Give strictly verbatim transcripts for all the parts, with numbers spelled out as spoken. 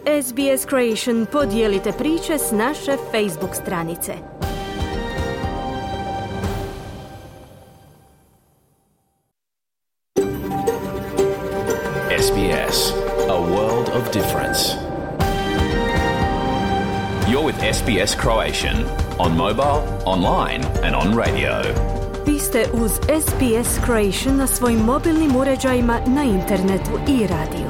S B S Creation podijelite priče s naše Facebook stranice. S B S, a world of difference. You're with S B S Croatian on mobile, online and on radio. Vi ste uz S B S Croatian na svojim mobilnim uređajima, na internetu i radiju.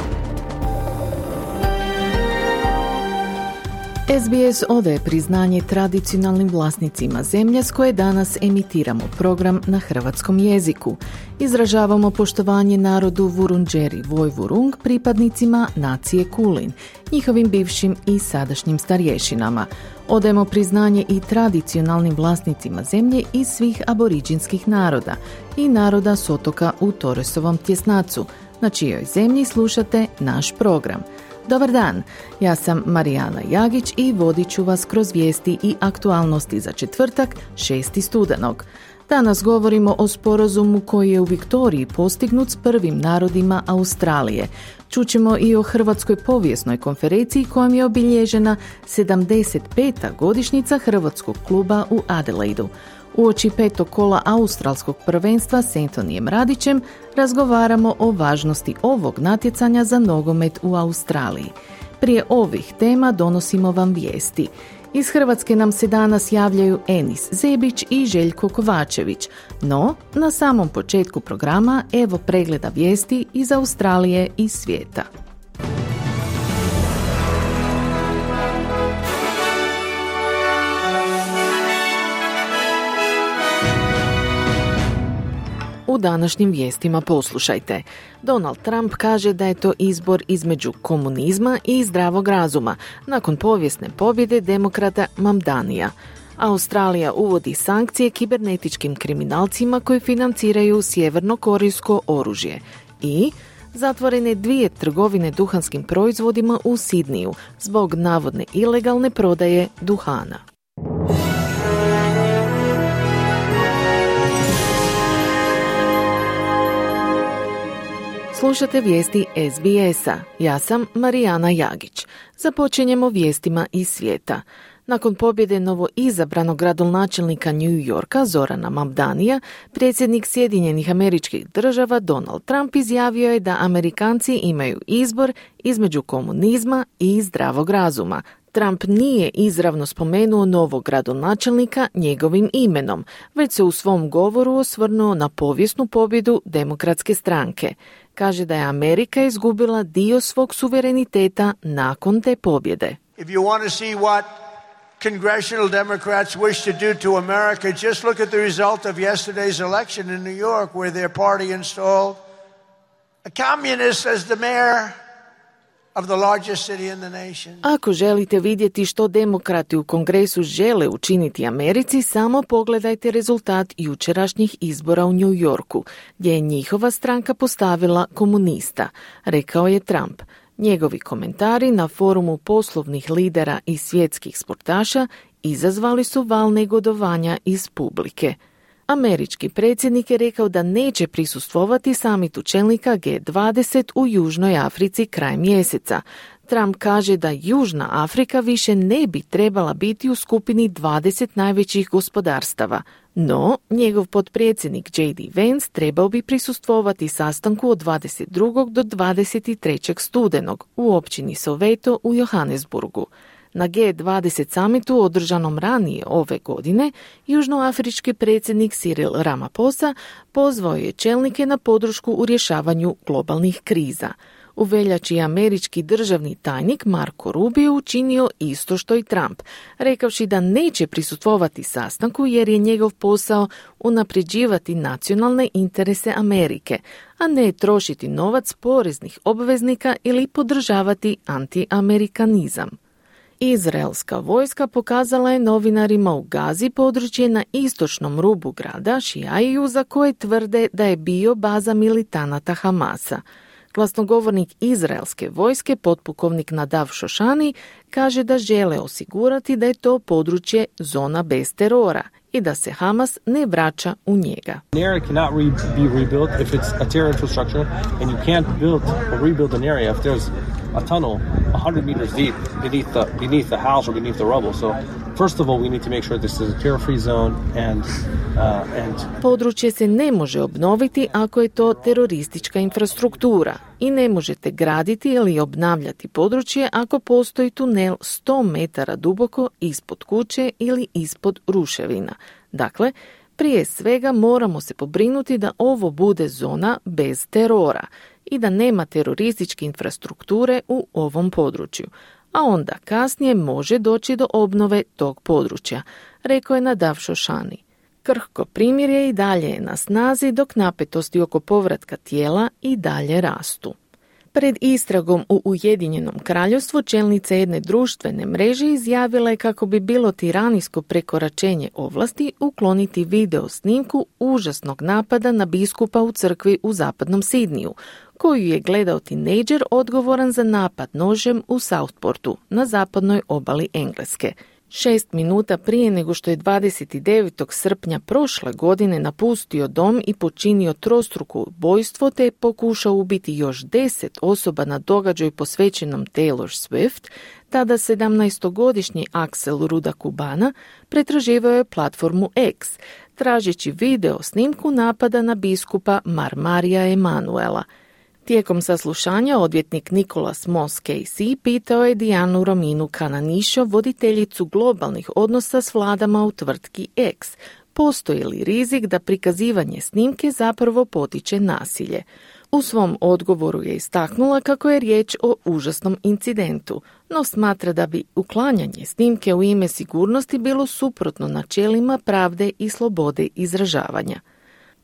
S B S odaje priznanje tradicionalnim vlasnicima zemlje s koje danas emitiramo program na hrvatskom jeziku. Izražavamo poštovanje narodu Vurundjeri Vojvurung, pripadnicima nacije Kulin, njihovim bivšim i sadašnjim starješinama. Odajemo priznanje i tradicionalnim vlasnicima zemlje iz svih aboriđinskih naroda i naroda s otoka u Torresovom tjesnacu, na čijoj zemlji slušate naš program. Dobar dan, ja sam Marijana Jagić i vodit ću vas kroz vijesti i aktualnosti za četvrtak, šesti studenog. Danas govorimo o sporazumu koji je u Viktoriji postignut s prvim narodima Australije. Čućemo i o Hrvatskoj povijesnoj konferenciji kojom je obilježena sedamdeset peta godišnjica Hrvatskog kluba u Adelaidu. Uoči petog kola australskog prvenstva s Antonijem Radićem razgovaramo o važnosti ovog natjecanja za nogomet u Australiji. Prije ovih tema donosimo vam vijesti. Iz Hrvatske nam se danas javljaju Enis Zebić i Željko Kovačević, no na samom početku programa evo pregleda vijesti iz Australije i svijeta. U današnjim vijestima poslušajte. Donald Trump kaže da je to izbor između komunizma i zdravog razuma, nakon povijesne pobjede demokrata Mamdanija. Australija uvodi sankcije kibernetičkim kriminalcima koji financiraju sjevernokorejsko oružje. I zatvorene dvije trgovine duhanskim proizvodima u Sidniju zbog navodne ilegalne prodaje duhana. Slušate vijesti S B S-a. Ja sam Marijana Jagić. Započinjemo vijestima iz svijeta. Nakon pobjede novoizabranog gradonačelnika New Yorka Zorana Mamdanija, predsjednik Sjedinjenih Američkih Država Donald Trump izjavio je da Amerikanci imaju izbor između komunizma i zdravog razuma. Trump nije izravno spomenuo novog gradonačelnika njegovim imenom, već se u svom govoru osvrnuo na povijesnu pobjedu demokratske stranke. Kaže da je Amerika izgubila dio svog suvereniteta nakon te pobjede. If you want to see what congressional Democrats wish to do to America, just look at the result of yesterday's election in New York, where their party installed a communist as the mayor of the largest city in the nation. Ako želite vidjeti što demokrati u Kongresu žele učiniti Americi, samo pogledajte rezultat jučerašnjih izbora u New Yorku, gdje je njihova stranka postavila komunista, rekao je Trump. Njegovi komentari na forumu poslovnih lidera i svjetskih sportaša izazvali su val negodovanja iz publike. Američki predsjednik je rekao da neće prisustvovati samitu čelnika G dvadeset u Južnoj Africi kraj mjeseca. Trump kaže da Južna Afrika više ne bi trebala biti u skupini dvadeset najvećih gospodarstava. No, njegov potpredsjednik J D Vance trebao bi prisustvovati sastanku od dvadeset drugog do dvadeset trećeg studenog u općini Soweto u Johannesburgu. Na G dvadeset samitu održanom ranije ove godine, južnoafrički predsjednik Cyril Ramaphosa pozvao je čelnike na podršku u rješavanju globalnih kriza. U veljači je američki državni tajnik Marco Rubio učinio isto što i Trump, rekavši da neće prisustvovati sastanku jer je njegov posao unapređivati nacionalne interese Amerike, a ne trošiti novac poreznih obveznika ili podržavati antiamerikanizam. Izraelska vojska pokazala je novinarima u Gazi područje na istočnom rubu grada Šijaiju za koje tvrde da je bio baza militanata Hamasa. Glasnogovornik izraelske vojske, potpukovnik Nadav Šošani, kaže da žele osigurati da je to područje zona bez terora i da se Hamas ne vraća u njega. An area cannot re- be rebuilt if it's a terror infrastructure and you can't build or rebuild an area if there's a tunnel one hundred meters deep beneath the beneath the house or beneath the rubble. So first of all, we need to make sure this is a terror-free zone and uh, and Područje se ne može obnoviti ako je to teroristička infrastruktura i ne možete graditi ili obnavljati područje ako postoji tunel sto metara duboko ispod kuće ili ispod ruševina. Dakle, prije svega moramo se pobrinuti da ovo bude zona bez terora i da nema terorističke infrastrukture u ovom području, a onda kasnije može doći do obnove tog područja, rekao je Nadav Shoshani. Krhko primirje i dalje je na snazi dok napetosti oko povratka tijela i dalje rastu. Pred istragom u Ujedinjenom kraljevstvu čelnica jedne društvene mreže izjavila je kako bi bilo tiranijsko prekoračenje ovlasti ukloniti video snimku užasnog napada na biskupa u crkvi u zapadnom Sidniju, koju je gledao tinejdžer odgovoran za napad nožem u Southportu na zapadnoj obali Engleske. Šest minuta prije nego što je dvadeset devetog srpnja prošle godine napustio dom i počinio trostruko ubojstvo te pokušao ubiti još deset osoba na događaju posvećenom Taylor Swift, tada sedamnaestogodišnji Axel Ruda Kubana pretraživao je platformu X, tražeći video snimku napada na biskupa Marmarija Emanuela. Tijekom saslušanja odvjetnik Nicholas Moss Casey pitao je Dianu Rominu Cananišo, voditeljicu globalnih odnosa s vladama u tvrtki X, postoji li rizik da prikazivanje snimke zapravo potiče nasilje. U svom odgovoru je istaknula kako je riječ o užasnom incidentu, no smatra da bi uklanjanje snimke u ime sigurnosti bilo suprotno načelima pravde i slobode izražavanja.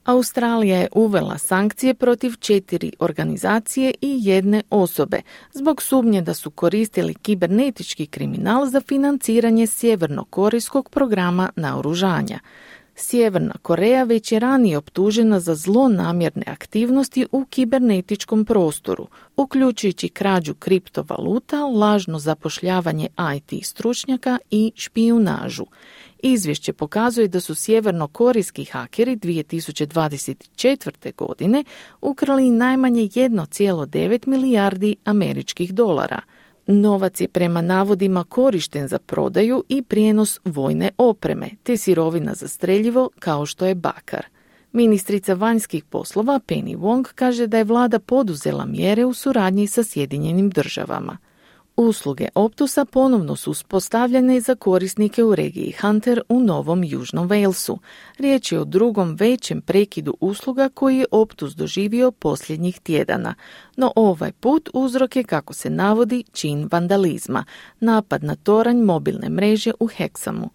Australija je uvela sankcije protiv četiri organizacije i jedne osobe zbog sumnje da su koristili kibernetički kriminal za financiranje sjevernokorejskog programa naoružanja. Sjeverna Koreja već je ranije optužena za zlonamjerne aktivnosti u kibernetičkom prostoru, uključujući krađu kriptovaluta, lažno zapošljavanje I T stručnjaka i špijunažu. Izvješće pokazuje da su sjevernokorejski hakeri dvije tisuće dvadeset četvrte. godine ukrali najmanje jedan zarez devet milijardi američkih dolara. Novac je prema navodima korišten za prodaju i prijenos vojne opreme, te sirovina za streljivo kao što je bakar. Ministrica vanjskih poslova Penny Wong kaže da je vlada poduzela mjere u suradnji sa Sjedinjenim državama. Usluge Optusa ponovno su uspostavljene za korisnike u regiji Hunter u Novom Južnom Walesu. Riječ je o drugom većem prekidu usluga koji je Optus doživio posljednjih tjedana. No ovaj put uzrok je, kako se navodi, čin vandalizma, napad na toranj mobilne mreže u Hexhamu.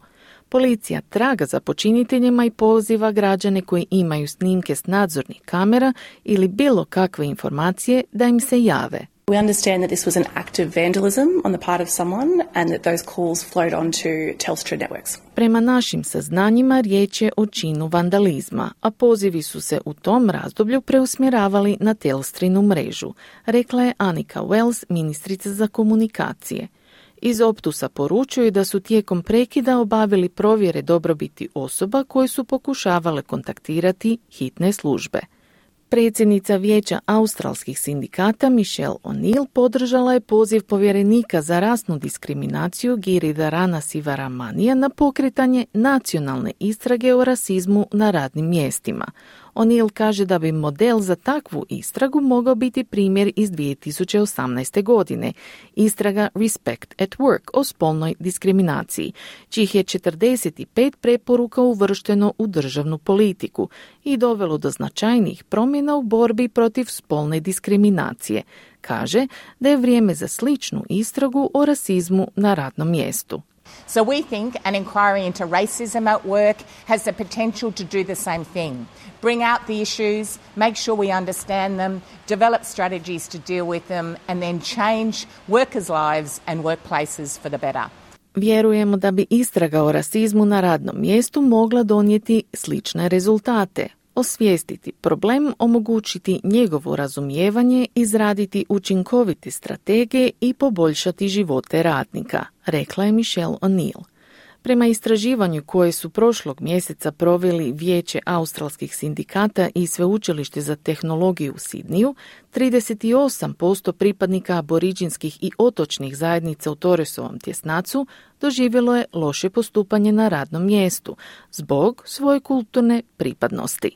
Policija traga za počiniteljima i poziva građane koji imaju snimke s nadzornih kamera ili bilo kakve informacije da im se jave. We understand that this was an act of vandalism on the part of someone and that those calls flowed onto Telstra networks. Prema našim saznanjima riječ je o činu vandalizma, a pozivi su se u tom razdoblju preusmjeravali na Telstrinu mrežu, rekla je Annika Wells, ministrica za komunikacije. Iz Optusa poručuju da su tijekom prekida obavili provjere dobrobiti osoba koje su pokušavale kontaktirati hitne službe. Predsjednica Vijeća australskih sindikata Michelle O'Neill podržala je poziv povjerenika za rasnu diskriminaciju Giridharana Sivaramanija na pokretanje nacionalne istrage o rasizmu na radnim mjestima. O'Neill kaže da bi model za takvu istragu mogao biti primjer iz dvije tisuće osamnaeste. godine, istraga Respect at Work o spolnoj diskriminaciji, čih je četrdeset pet preporuka uvršteno u državnu politiku i dovelo do značajnih promjena u borbi protiv spolne diskriminacije. Kaže da je vrijeme za sličnu istragu o rasizmu na radnom mjestu. So we think an inquiry into racism at work has the potential to do the same thing. Bring out the issues, make sure we understand them, develop strategies to deal with them, and then change workers' lives and workplaces for the better. Vjerujemo da bi istraga o rasizmu na radnom mjestu mogla donijeti slične rezultate. Osvijestiti problem, omogućiti njegovo razumijevanje, izraditi učinkovite strategije i poboljšati živote radnika, rekla je Michelle O'Neill. Prema istraživanju koje su prošlog mjeseca proveli Vijeće australskih sindikata i Sveučilište za tehnologiju u Sidniju, trideset osam posto pripadnika aboriđinskih i otočnih zajednica u Torresovom tjesnacu doživjelo je loše postupanje na radnom mjestu zbog svoje kulturne pripadnosti.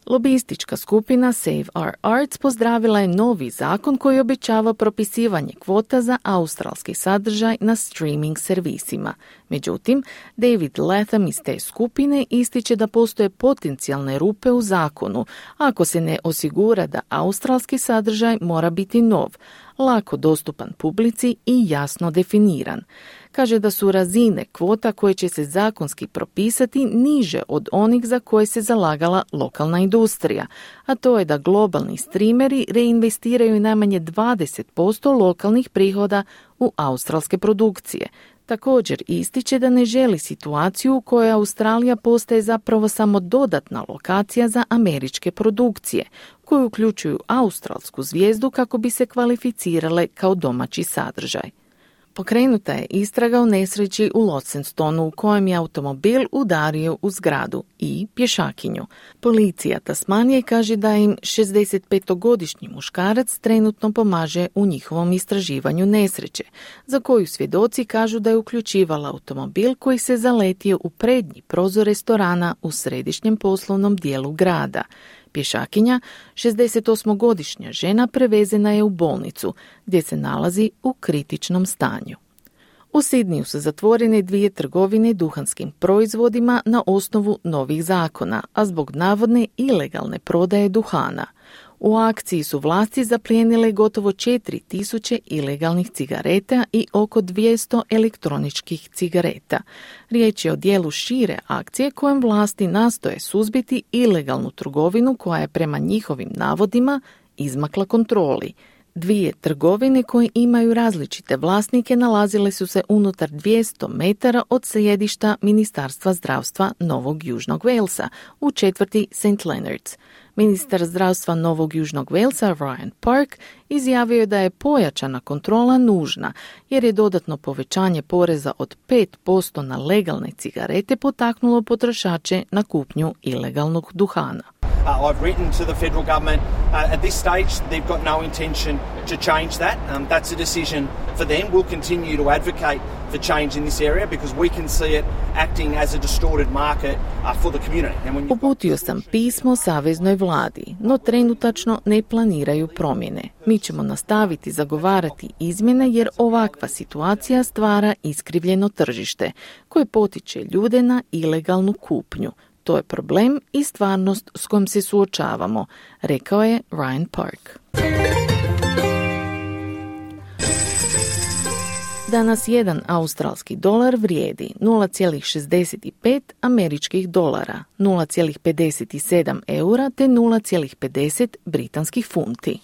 Lobistička skupina Save Our Arts pozdravila je novi zakon koji obećava propisivanje kvota za australski sadržaj na streaming servisima. Međutim, David Latham iz te skupine ističe da postoje potencijalne rupe u zakonu ako se ne osigura da australski sadržaj mora biti nov, lako dostupan publici i jasno definiran. Kaže da su razine kvota koje će se zakonski propisati niže od onih za koje se zalagala lokalna industrija, a to je da globalni streameri reinvestiraju najmanje dvadeset posto lokalnih prihoda u australske produkcije. Također ističe da ne želi situaciju u kojoj Australija postaje zapravo samo dodatna lokacija za američke produkcije, koje uključuju australsku zvijezdu kako bi se kvalificirale kao domaći sadržaj. Pokrenuta je istraga o nesreći u Launcestonu u kojem je automobil udario u zgradu i pješakinju. Policija Tasmanije kaže da im šezdesetpetogodišnji muškarac trenutno pomaže u njihovom istraživanju nesreće, za koju svjedoci kažu da je uključivala automobil koji se zaletio u prednji prozor restorana u središnjem poslovnom dijelu grada. Pješakinja, šezdesetosmogodišnja žena, prevezena je u bolnicu, gdje se nalazi u kritičnom stanju. U Sidniju su zatvorene dvije trgovine duhanskim proizvodima na osnovu novih zakona, a zbog navodne ilegalne prodaje duhana. U akciji su vlasti zaplijenile gotovo četiri tisuće ilegalnih cigareta i oko dvjesto elektroničkih cigareta. Riječ je o dijelu šire akcije kojem vlasti nastoje suzbiti ilegalnu trgovinu koja je prema njihovim navodima izmakla kontroli. Dvije trgovine koje imaju različite vlasnike nalazile su se unutar dvjesto metara od sjedišta Ministarstva zdravstva Novog Južnog Walesa u četvrti Saint Leonards. Ministar zdravstva Novog Južnog Walesa Ryan Park izjavio je da je pojačana kontrola nužna jer je dodatno povećanje poreza od pet posto na legalne cigarete potaknulo potrošače na kupnju ilegalnog duhana. Uh, I've written to the federal government. Uh, at this stage, they've got no intention to change that. Um, that's a decision for them. We'll continue to advocate for change in this area because we can see it acting as a distorted market uh, for the community. And when Uputio sam pismo saveznoj vladi, no trenutačno ne planiraju promjene. Mi ćemo nastaviti zagovarati izmjene jer ovakva situacija stvara iskrivljeno tržište koje potiče ljude na ilegalnu kupnju. To je problem i stvarnost s kojom se suočavamo, rekao je Ryan Park. Danas jedan australski dolar vrijedi nula zarez šezdeset pet američkih dolara, nula zarez pedeset sedam eura te nula zarez pedeset britanskih funti.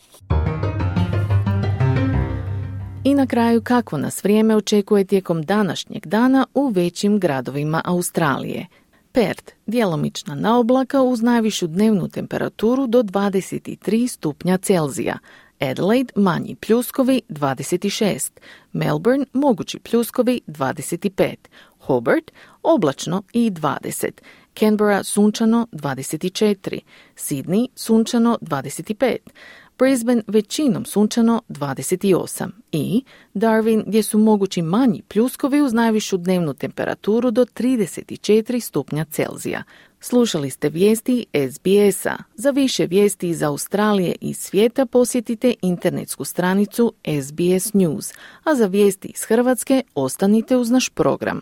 I na kraju, kakvo nas vrijeme očekuje tijekom današnjeg dana u većim gradovima Australije. Perth, djelomična naoblaka uz najvišu dnevnu temperaturu do dvadeset tri stupnja Celzija. Adelaide, manji pljuskovi dvadeset šest. Melbourne, mogući pljuskovi dvadeset pet. Hobart, oblačno i dvadeset. Canberra, sunčano dvadeset četiri. Sydney, sunčano dvadeset pet. Brisbane većinom sunčano dvadeset osam i Darwin gdje su mogući manji pljuskovi uz najvišu dnevnu temperaturu do trideset četiri stupnja Celzija. Slušali ste vijesti S B S-a. Za više vijesti iz Australije i svijeta posjetite internetsku stranicu S B S News, a za vijesti iz Hrvatske ostanite uz naš program.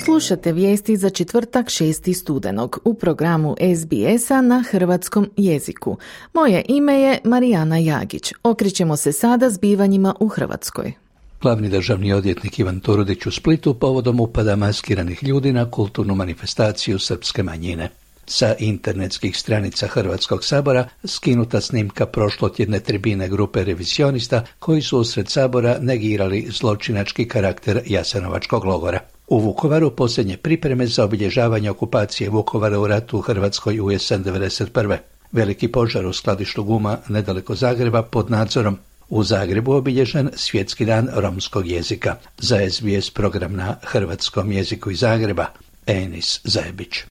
Slušate vijesti za četvrtak šesti studenog u programu S B S-a na hrvatskom jeziku. Moje ime je Marijana Jagić. Okrećemo se sada zbivanjima u Hrvatskoj. Glavni državni odvjetnik Ivan Turudić u Splitu povodom upada maskiranih ljudi na kulturnu manifestaciju srpske manjine. Sa internetskih stranica Hrvatskog sabora skinuta snimka prošlotjedne tribine grupe revizionista koji su usred sabora negirali zločinački karakter Jasenovačkog logora. U Vukovaru posljednje pripreme za obilježavanje okupacije Vukovara u ratu u Hrvatskoj u jesen devedeset prve. Veliki požar u skladištu guma nedaleko Zagreba pod nadzorom. U Zagrebu obilježen Svjetski dan romskog jezika. Za S B S program na hrvatskom jeziku iz Zagreba, Enis Zajebić.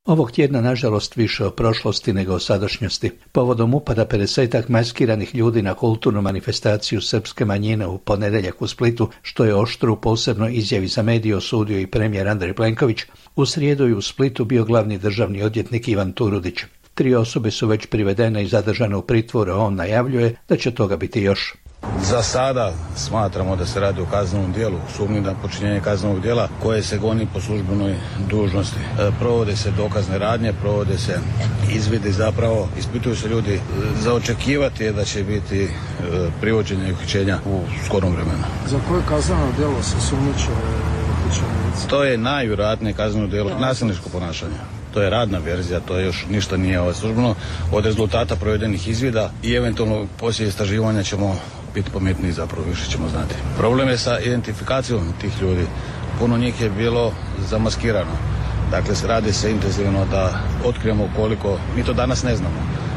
Ovog tjedna, nažalost, više o prošlosti nego o sadašnjosti. Povodom upada pedesetak maskiranih ljudi na kulturnu manifestaciju srpske manjine u ponedjeljak u Splitu, što je oštro u posebnoj izjavi za medije osudio i premijer Andrej Plenković, u srijedu je u Splitu bio glavni državni odvjetnik Ivan Turudić. Tri osobe su već privedene i zadržane u pritvoru, a on najavljuje da će toga biti još. Za sada smatramo da se radi o kaznenom djelu, sumnji na počinjenje kaznenog djela koje se goni po službenoj dužnosti. E, provode se dokazne radnje, provode se izvidi, zapravo ispituju se ljudi. Za očekivati je da će biti e, privođenje i uhićenja u skorom vremenu. Za koje kazneno djelo se sumnjiče uhićenici? To je najvjerojatnije kazneno djelo nasilničko ponašanje. To je radna verzija, to je još ništa nije ovo službeno. Od rezultata provedenih izvida i eventualno poslije istraživanja ćemo biti pametniji, zapravo više ćemo znati. Problem je sa identifikacijom tih ljudi. Puno njih je bilo zamaskirano. Dakle, radi se intenzivno da otkrijemo koliko, mi to danas ne znamo,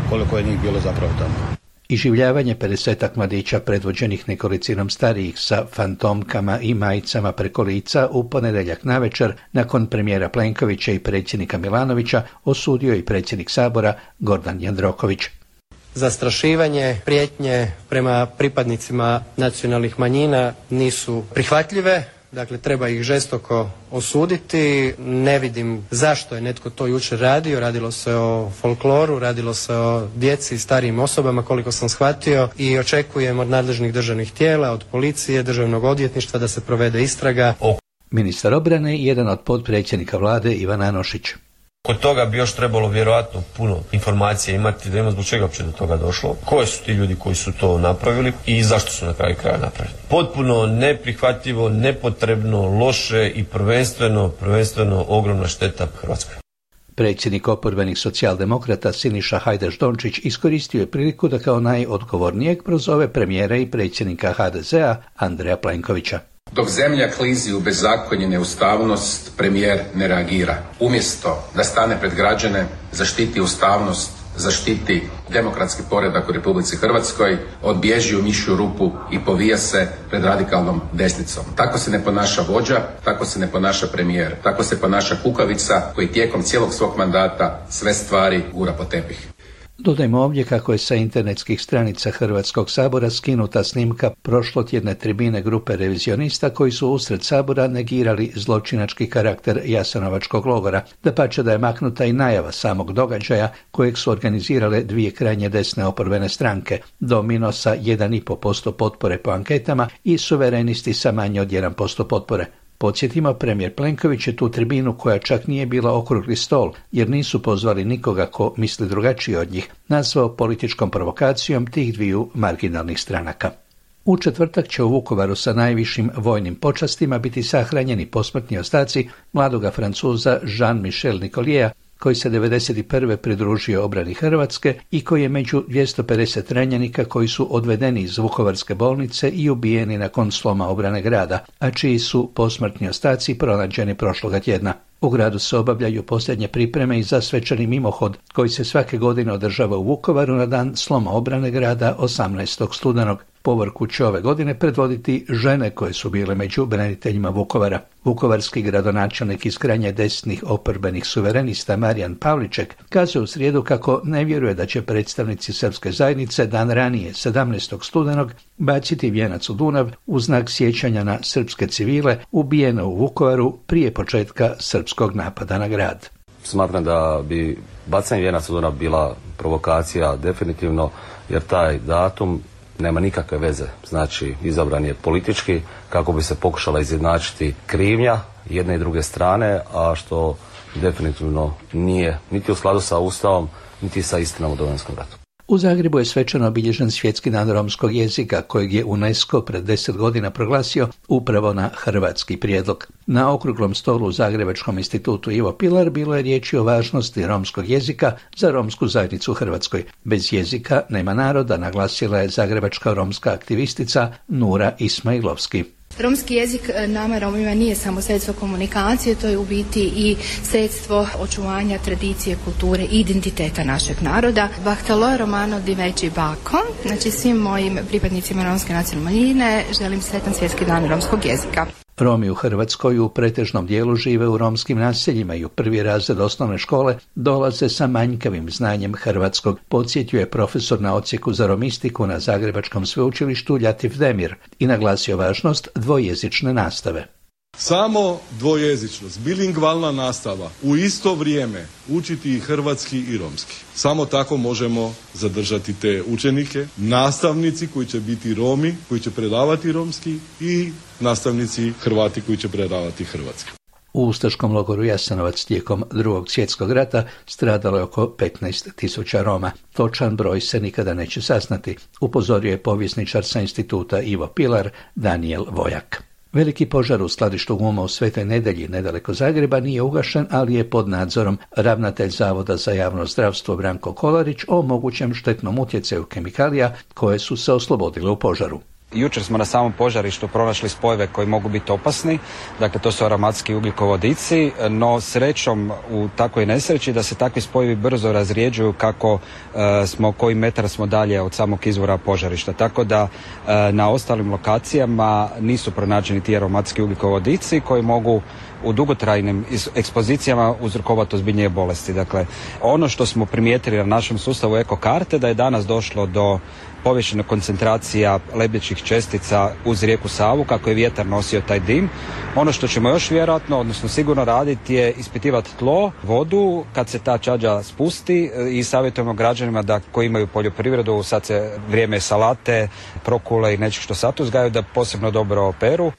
koliko je njih bilo zapravo tamo. Iživljavanje pedesetak mladića predvođenih nekolicinom starijih sa fantomkama i majicama preko lica u ponedjeljak navečer nakon premijera Plenkovića i predsjednika Milanovića osudio i predsjednik Sabora Gordan Jandroković. Zastrašivanje, prijetnje prema pripadnicima nacionalnih manjina nisu prihvatljive. Dakle, treba ih žestoko osuditi. Ne vidim zašto je netko to jučer radio. Radilo se o folkloru, radilo se o djeci i starijim osobama, koliko sam shvatio, i očekujem od nadležnih državnih tijela, od policije, državnog odvjetništva da se provede istraga. Ministar obrane i jedan od potpredsjednika vlade Ivan Anušić. Kod toga bi još trebalo vjerojatno puno informacija imati da ima zbog čega uopće do toga došlo, koji su ti ljudi koji su to napravili i zašto su na kraju kraja napravili. Potpuno neprihvatljivo, nepotrebno, loše i prvenstveno, prvenstveno ogromna šteta Hrvatskoj. Predsjednik oporbenih socijaldemokrata Siniša Hajdaš-Dončić iskoristio je priliku da kao najodgovornijeg prozove premijera i predsjednika H D Z-a Andreja Plenkovića. Dok zemlja klizi u bezakonje i neustavnost, premijer ne reagira. Umjesto da stane pred građane, zaštiti ustavnost, zaštiti demokratski poredak u Republici Hrvatskoj, odbježi u mišju rupu i povija se pred radikalnom desnicom. Tako se ne ponaša vođa, tako se ne ponaša premijer, tako se ponaša kukavica koji tijekom cijelog svog mandata sve stvari gura po tepih. Dodajmo ovdje kako je sa internetskih stranica Hrvatskog sabora skinuta snimka prošlotjedne tribine grupe revizionista koji su usred sabora negirali zločinački karakter Jasenovačkog logora. Dapače da je maknuta i najava samog događaja kojeg su organizirale dvije krajnje desne oporbene stranke, Domino sa jedan i pol posto potpore po anketama i Suverenisti sa manje od jedan posto potpore. Podsjetimo, premijer Plenković je tu tribinu, koja čak nije bila okrugli stol, jer nisu pozvali nikoga ko misli drugačije od njih, nazvao političkom provokacijom tih dviju marginalnih stranaka. U četvrtak će u Vukovaru sa najvišim vojnim počastima biti sahranjeni posmrtni ostaci mladoga Francuza Jean-Michel Nicoliera, koji se devedeset prve pridružio obrani Hrvatske i koji je među dvjesto pedeset ranjenika koji su odvedeni iz Vukovarske bolnice i ubijeni nakon sloma obrane grada, a čiji su posmrtni ostaci pronađeni prošloga tjedna. U gradu se obavljaju posljednje pripreme i za svečani mimohod koji se svake godine održava u Vukovaru na dan sloma obrane grada osamnaestog studenog. Povorku će ove godine predvoditi žene koje su bile među braniteljima Vukovara. Vukovarski gradonačelnik iz krajnje desnih oporbenih suverenista Marijan Pavliček kazuje u srijedu kako ne vjeruje da će predstavnici srpske zajednice dan ranije, sedamnaestog studenog, baciti vijenac u Dunav u znak sjećanja na srpske civile ubijene u Vukovaru prije početka srpskog napada na grad. Smatram da bi bacanje vijenaca u Dunav bila provokacija definitivno, jer taj datum nema nikakve veze. Znači, izabran je politički kako bi se pokušala izjednačiti krivnja jedne i druge strane, a što definitivno nije niti u skladu sa Ustavom, niti sa istinom u Domovinskom ratu. U Zagrebu je svečano obilježen Svjetski dan romskog jezika, kojeg je UNESCO pred deset godina proglasio upravo na hrvatski prijedlog. Na okruglom stolu u Zagrebačkom institutu Ivo Pilar bilo je riječi o važnosti romskog jezika za romsku zajednicu u Hrvatskoj. Bez jezika nema naroda, naglasila je zagrebačka romska aktivistica Nura Ismailovski. Romski jezik nama Romima nije samo sredstvo komunikacije, to je u biti i sredstvo očuvanja tradicije, kulture i identiteta našeg naroda. Bahtalo romano di veći bako, znači svim mojim pripadnicima romske nacionalne manjine želim sretan svjetski dan romskog jezika. Romi u Hrvatskoj u pretežnom dijelu žive u romskim naseljima i u prvi razred osnovne škole dolaze sa manjkavim znanjem hrvatskog, podsjetio je profesor na odsjeku za romistiku na Zagrebačkom sveučilištu Ljatif Demir i naglasio važnost dvojezične nastave. Samo dvojezičnost, bilingvalna nastava, u isto vrijeme učiti i hrvatski i romski. Samo tako možemo zadržati te učenike, nastavnici koji će biti Romi, koji će predavati romski i nastavnici Hrvati koji će predavati hrvatski. U ustaškom logoru Jasenovac tijekom drugog svjetskog rata stradalo je oko petnaest tisuća Roma. Točan broj se nikada neće saznati, upozorio je povjesničar sa instituta Ivo Pilar Danijel Vojak. Veliki požar u skladištu guma u Svetoj Nedelji nedaleko Zagreba nije ugašen, ali je pod nadzorom. Ravnatelj Zavoda za javno zdravstvo Branko Kolarić o mogućem štetnom utjecaju kemikalija koje su se oslobodile u požaru. Jučer smo na samom požarištu pronašli spojeve koji mogu biti opasni, dakle to su aromatski ugljikovodici, no srećom u takvoj nesreći da se takvi spojevi brzo razrijeđuju kako e, smo, koji metar smo dalje od samog izvora požarišta. Tako da e, na ostalim lokacijama nisu pronađeni ti aromatski ugljikovodici koji mogu u dugotrajnim ekspozicijama uzrokovati ozbiljnije bolesti. Dakle, ono što smo primijetili na našem sustavu ekokarte da je danas došlo do povišene koncentracija lebdećih čestica uz rijeku Savu kako je vjetar nosio taj dim. Ono što ćemo još vjerojatno, odnosno sigurno raditi je ispitivati tlo, vodu kad se ta čađa spusti i savjetujemo građanima da koji imaju poljoprivredu, sad se vrijeme salate, prokule i nečeg što sad uzgajaju da posebno dobro operu.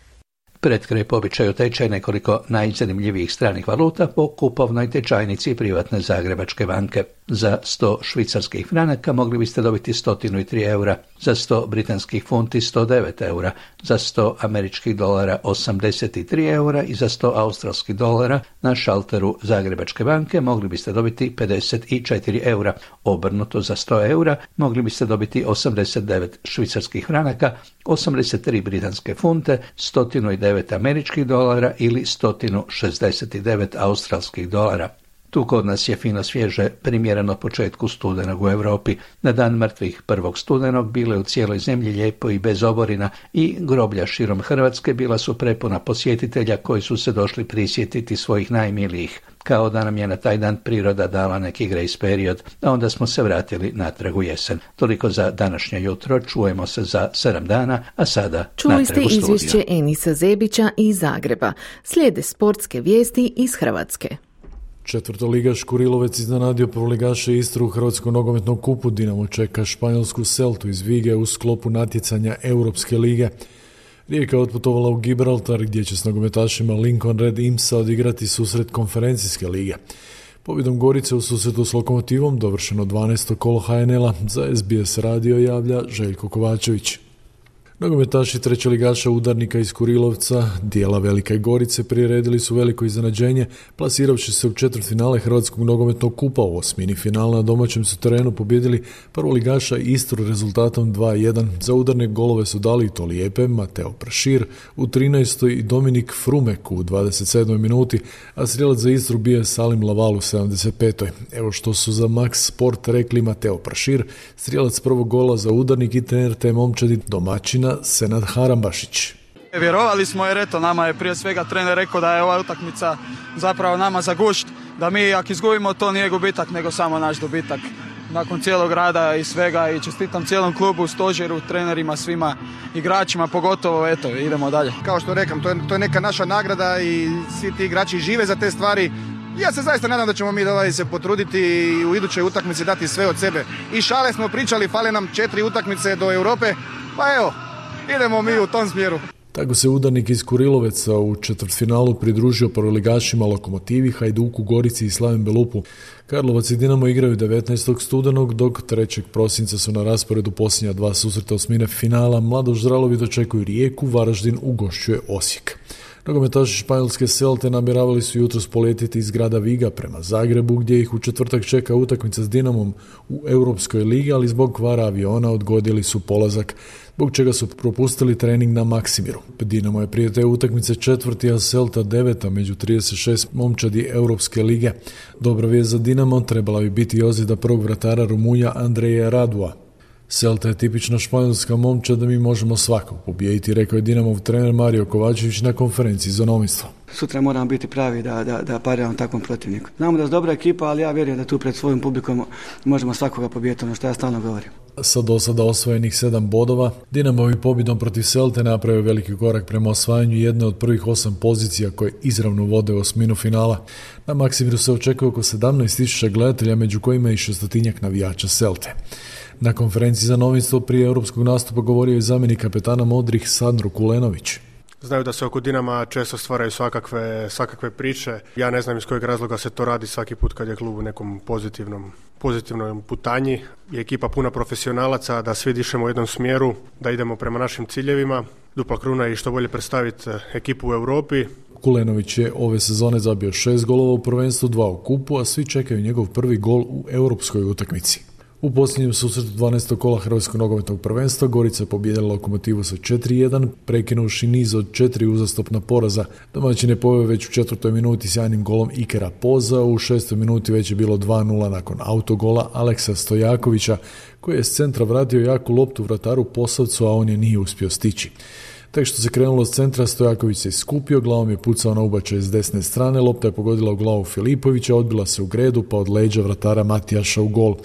Pred kraj po običaju tečaj nekoliko najzanimljivijih stranih valuta po kupovnoj tečajnici privatne Zagrebačke banke. Za sto švicarskih franaka mogli biste dobiti sto tri eura, za sto britanskih funti sto devet eura, za sto američkih dolara osamdeset tri eura i za sto australskih dolara na šalteru Zagrebačke banke mogli biste dobiti pedeset četiri eura. Obrnuto za sto eura mogli biste dobiti osamdeset devet švicarskih franaka, osamdeset tri britanske funte, sto devet američkih dolara ili sto šezdeset devet australskih dolara. Tu kod nas je fino svježe, primjereno početku studenog u Europi. Na dan mrtvih prvog studenog bilo je u cijeloj zemlji lijepo i bez oborina i groblja širom Hrvatske bila su prepuna posjetitelja koji su se došli prisjetiti svojih najmilijih. Kao da nam je na taj dan priroda dala neki grace period, a onda smo se vratili natrag u jesen. Toliko za današnje jutro, čujemo se za sedam dana, a sada čuli natrag u ste studiju. izvješće Enisa Zebića iz Zagreba. Slijede sportske vijesti iz Hrvatske. Četvrtoligaš Kurilovec iznenadio prvoligaša Istru u Hrvatskom nogometnom kupu. Dinamo čeka španjolsku Celtu iz Vige u sklopu natjecanja Europske lige. Rijeka je otputovala u Gibraltar gdje će s nogometašima Lincoln Red Imsa odigrati susret konferencijske lige. Pobjedom Gorice u susretu s Lokomotivom dovršeno dvanaesto kolo ha en el-a. Za es be es radio javlja Željko Kovačević. Nogometaši trećeligaša Udarnika iz Kurilovca, dijela Velike Gorice, priredili su veliko iznenađenje, plasiravši se u četvrtfinale Hrvatskog nogometnog kupa. U osmini finala na domaćem su terenu pobjedili prvoligaša Istru rezultatom dva jedan. Za Udarnik golove su dali to lijepe Mateo Prašir u trinaestoj i Dominik Frumek u dvadeset sedmoj minuti, a strijelac za Istru bio je Salim Laval u sedamdeset petoj. Evo što su za Max Sport rekli Mateo Prašir, strijelac prvog gola za Udarnik i trener te momčadi domaćina Senad Harambašić. Vjerovali smo jer eto, nama je prije svega trener rekao da je ova utakmica zapravo nama za gušt, da mi ako izgubimo to nije gubitak nego samo naš dobitak. Nakon cijelog rada i svega i čestitam cijelom klubu, stožeru, trenerima, svima igračima, pogotovo eto, idemo dalje. Kao što rekam, to je, to je neka naša nagrada i svi ti igrači žive za te stvari. Ja se zaista nadam da ćemo mi ovaj se potruditi i u idućoj utakmici dati sve od sebe. I šale smo pričali, fale nam četiri utakmice do Europe, pa evo, idemo mi u tom smjeru. Tako se Udarnik iz Kuriloveca u četvrtfinalu pridružio prvoligašima Lokomotivi, Hajduku, Gorici i Slaven Belupu. Karlovac i Dinamo igraju devetnaestog studenog, dok trećeg prosinca su na rasporedu posljednja dva susreta osmine finala. Mladoš Zralovi dočekuju Rijeku, Varaždin ugošćuje Osijek. Nogometaši španjolske Celte namjeravali su jutros poletjeti iz grada Viga prema Zagrebu, gdje ih u četvrtak čeka utakmica s Dinamom u Europskoj ligi, ali zbog kvara aviona odgodili su polazak, zbog čega su propustili trening na Maksimiru. Dinamo je prije te utakmice četvrti, a Celta deveta među trideset šest momčadi Europske lige. Dobra vijest za Dinamo trebala bi biti ozljeda prvog vratara Rumunja Andreja Radua. Celta je tipična španjolska momčad, da mi možemo svakog pobijediti, rekao je Dinamov trener Mario Kovačević na konferenciji za novinstvo. Sutra moramo biti pravi da, da, da pariramo takvom protivniku. Znamo da je dobra ekipa, ali ja vjerujem da tu pred svojim publikom možemo svakoga pobijediti, ono što ja stalno govorim. Sa do sada osvojenih sedam bodova, Dinamovi pobjedom protiv Celte napravio veliki korak prema osvajanju jedne od prvih osam pozicija koje izravno vode u osminu finala. Na Maksimiru se očekuje oko sedamnaest tisuća gledatelja, među kojima i šestotinjak navijača Celte. Na konferenciji za novinstvo prije europskog nastupa govorio je zamjenik kapetana modrih Sandro Kulenović. Znaju da se oko Dinama često stvaraju svakakve, svakakve priče. Ja ne znam iz kojeg razloga se to radi svaki put kad je klub u nekom pozitivnom, pozitivnom putanji. Je ekipa puna profesionalaca, da svi dišemo u jednom smjeru, da idemo prema našim ciljevima. Dupla kruna i što bolje predstaviti ekipu u Europi. Kulenović je ove sezone zabio šest golova u prvenstvu, dva u kupu, a svi čekaju njegov prvi gol u europskoj utakmici. U posljednjem susretu dvanaestog kola Hrvatskog nogometnog prvenstva Gorica je pobijedila Lokomotivu sa četiri jedan, prekinuši niz od četiri uzastopna poraza. Domaćin je poveo već u četvrtoj minuti sjajnim golom Ikera Poza, u šestoj minuti već je bilo dva nula nakon autogola Aleksa Stojakovića, koji je s centra vratio jaku loptu vrataru Posavcu, a on je nije uspio stići. Tek što se krenulo s centra, Stojaković se iskupio, glavom je pucao na ubačaj s desne strane, lopta je pogodila u glavu Filipovića, odbila se u gredu, pa od leđa vratara Matijaša u gol.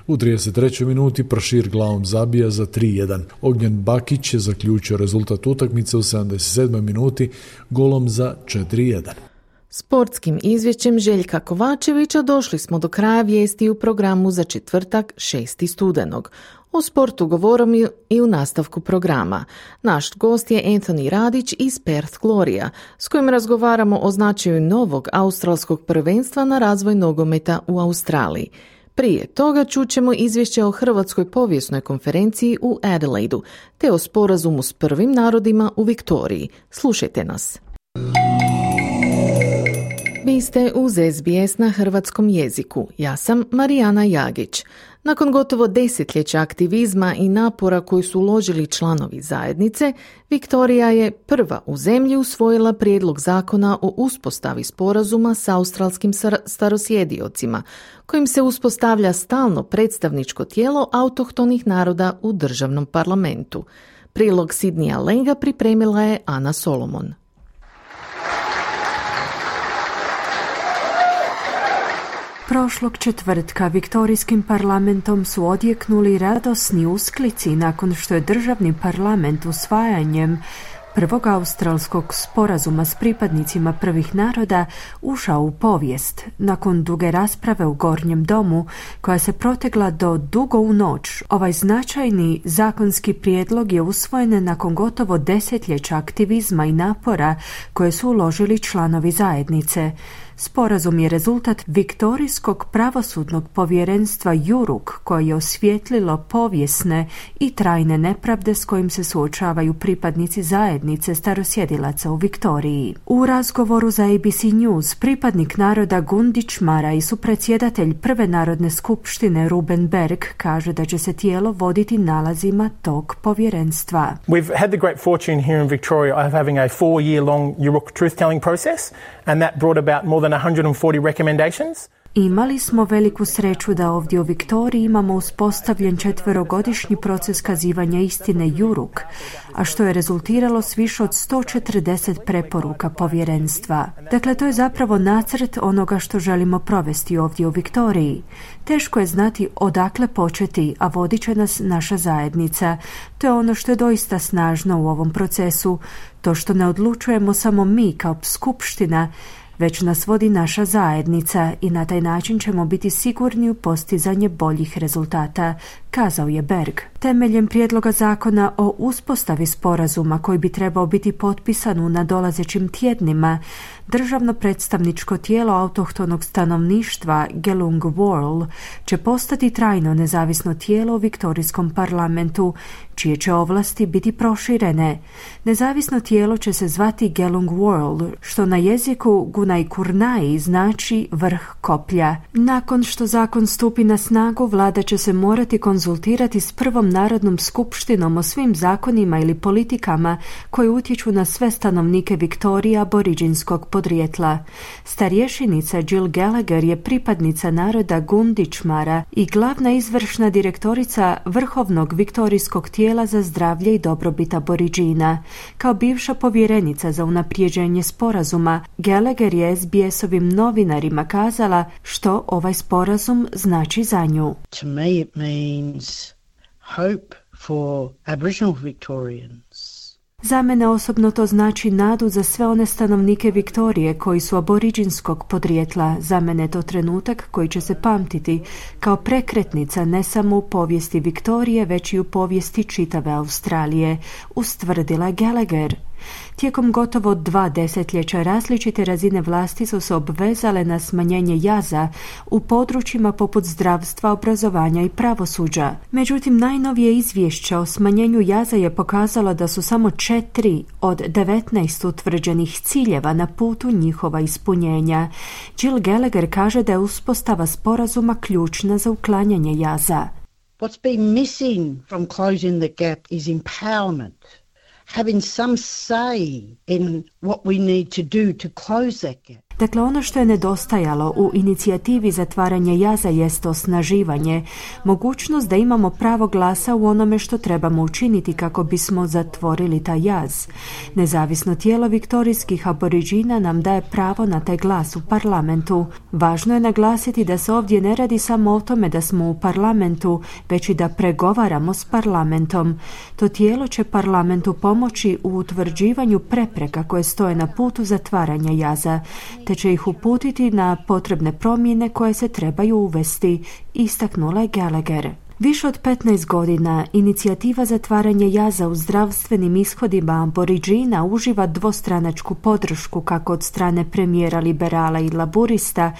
U trideset trećoj minuti Prašir glavom zabija za tri jedan. Ognjen Bakić je zaključio rezultat utakmice u sedamdeset sedmoj minuti golom za četiri jedan. Sportskim izvješćem Željka Kovačevića došli smo do kraja vijesti u programu za četvrtak šestog studenog. O sportu govorom i u nastavku programa. Naš gost je Anthony Radić iz Perth Gloria, s kojim razgovaramo o značaju novog australskog prvenstva na razvoj nogometa u Australiji. Prije toga čućemo izvješće o Hrvatskoj povijesnoj konferenciji u Adelaidu, te o sporazumu s prvim narodima u Viktoriji. Slušajte nas. Vi ste uz S B S na hrvatskom jeziku. Ja sam Marijana Jagić. Nakon gotovo desetljeća aktivizma i napora koji su uložili članovi zajednice, Viktorija je prva u zemlji usvojila prijedlog zakona o uspostavi sporazuma s australskim starosjediocima, kojim se uspostavlja stalno predstavničko tijelo autohtonih naroda u državnom parlamentu. Prilog Sidnija Lenga pripremila je Ana Solomon. Prošlog četvrtka viktorijskim parlamentom su odjeknuli radosni usklici nakon što je državni parlament usvajanjem prvog australskog sporazuma s pripadnicima prvih naroda ušao u povijest. Nakon duge rasprave u Gornjem domu, koja se protegla do dugo u noć, ovaj značajni zakonski prijedlog je usvojen nakon gotovo desetljeća aktivizma i napora koje su uložili članovi zajednice. Sporazum je rezultat Viktorijskog pravosudnog povjerenstva Juruk, koje je osvijetlilo povijesne i trajne nepravde s kojim se suočavaju pripadnici zajednice starosjedilaca u Viktoriji. U razgovoru za A B C News pripadnik naroda Gundić Mara i supredsjedatelj Prve narodne skupštine Ruben Berg kaže da će se tijelo voditi nalazima tog povjerenstva. We've had the great fortune here in Victoria of having a four-year-long Yuruk truth-telling process, and that brought about more than one hundred forty recommendations. Imali smo veliku sreću da ovdje u Viktoriji imamo uspostavljen četverogodišnji proces kazivanja istine Juruk, a što je rezultiralo s više od sto četrdeset preporuka povjerenstva. Dakle, to je zapravo nacrt onoga što želimo provesti ovdje u Viktoriji. Teško je znati odakle početi, a vodit će nas naša zajednica. To je ono što je doista snažno u ovom procesu, to što ne odlučujemo samo mi kao skupština, već nas vodi naša zajednica i na taj način ćemo biti sigurni u postizanje boljih rezultata, kazao je Berg. Temeljem prijedloga zakona o uspostavi sporazuma koji bi trebao biti potpisan u nadolazećim tjednima, državno predstavničko tijelo autohtonog stanovništva Gelung World će postati trajno nezavisno tijelo u viktorijskom parlamentu, čije će ovlasti biti proširene. Nezavisno tijelo će se zvati Gelung World, što na jeziku Gunai Kurnai znači vrh koplja. Nakon što zakon stupi na snagu, vlada će se morati konzultirati s prvom narodnom skupštinom o svim zakonima ili politikama koji utječu na sve stanovnike Viktorije aboriđinskog podrijetla. Starješenica Jill Gallagher je pripadnica naroda Gundičmara i glavna izvršna direktorica Vrhovnog viktorijskog tijela za zdravlje i dobrobit aboriđina. Kao bivša povjerenica za unaprijeđenje sporazuma, Gallagher je S B S-ovim novinarima kazala što ovaj sporazum znači za nju. To me it means hope for Aboriginal Victorians. Za mene osobno to znači nadu za sve one stanovnike Viktorije koji su aboriđinskog podrijetla. Za mene je to trenutak koji će se pamtiti kao prekretnica ne samo u povijesti Viktorije, već i u povijesti čitave Australije, ustvrdila Gallagher. Tijekom gotovo dva desetljeća različite razine vlasti su se obvezale na smanjenje jaza u područjima poput zdravstva, obrazovanja i pravosuđa. Međutim, najnovije izvješće o smanjenju jaza je pokazalo da su samo četiri od devetnaest utvrđenih ciljeva na putu njihova ispunjenja. Jill Gallagher kaže da je uspostava sporazuma ključna za uklanjanje jaza. What's been missing from closing the gap is empowerment. Having some say in what we need to do to close that gap. Dakle, ono što je nedostajalo u inicijativi zatvaranja jaza jest osnaživanje, mogućnost da imamo pravo glasa u onome što trebamo učiniti kako bismo zatvorili taj jaz. Nezavisno tijelo viktorijskih aboriđina nam daje pravo na taj glas u parlamentu. Važno je naglasiti da se ovdje ne radi samo o tome da smo u parlamentu, već i da pregovaramo s parlamentom. To tijelo će parlamentu pomoći u utvrđivanju prepreka koje stoje na putu zatvaranja jaza, te će ih uputiti na potrebne promjene koje se trebaju uvesti, istaknula je Gallagher. Više od petnaest godina inicijativa zatvaranja jaza u zdravstvenim ishodima aboriđina uživa dvostranačku podršku kako od strane premijera liberala i laburista,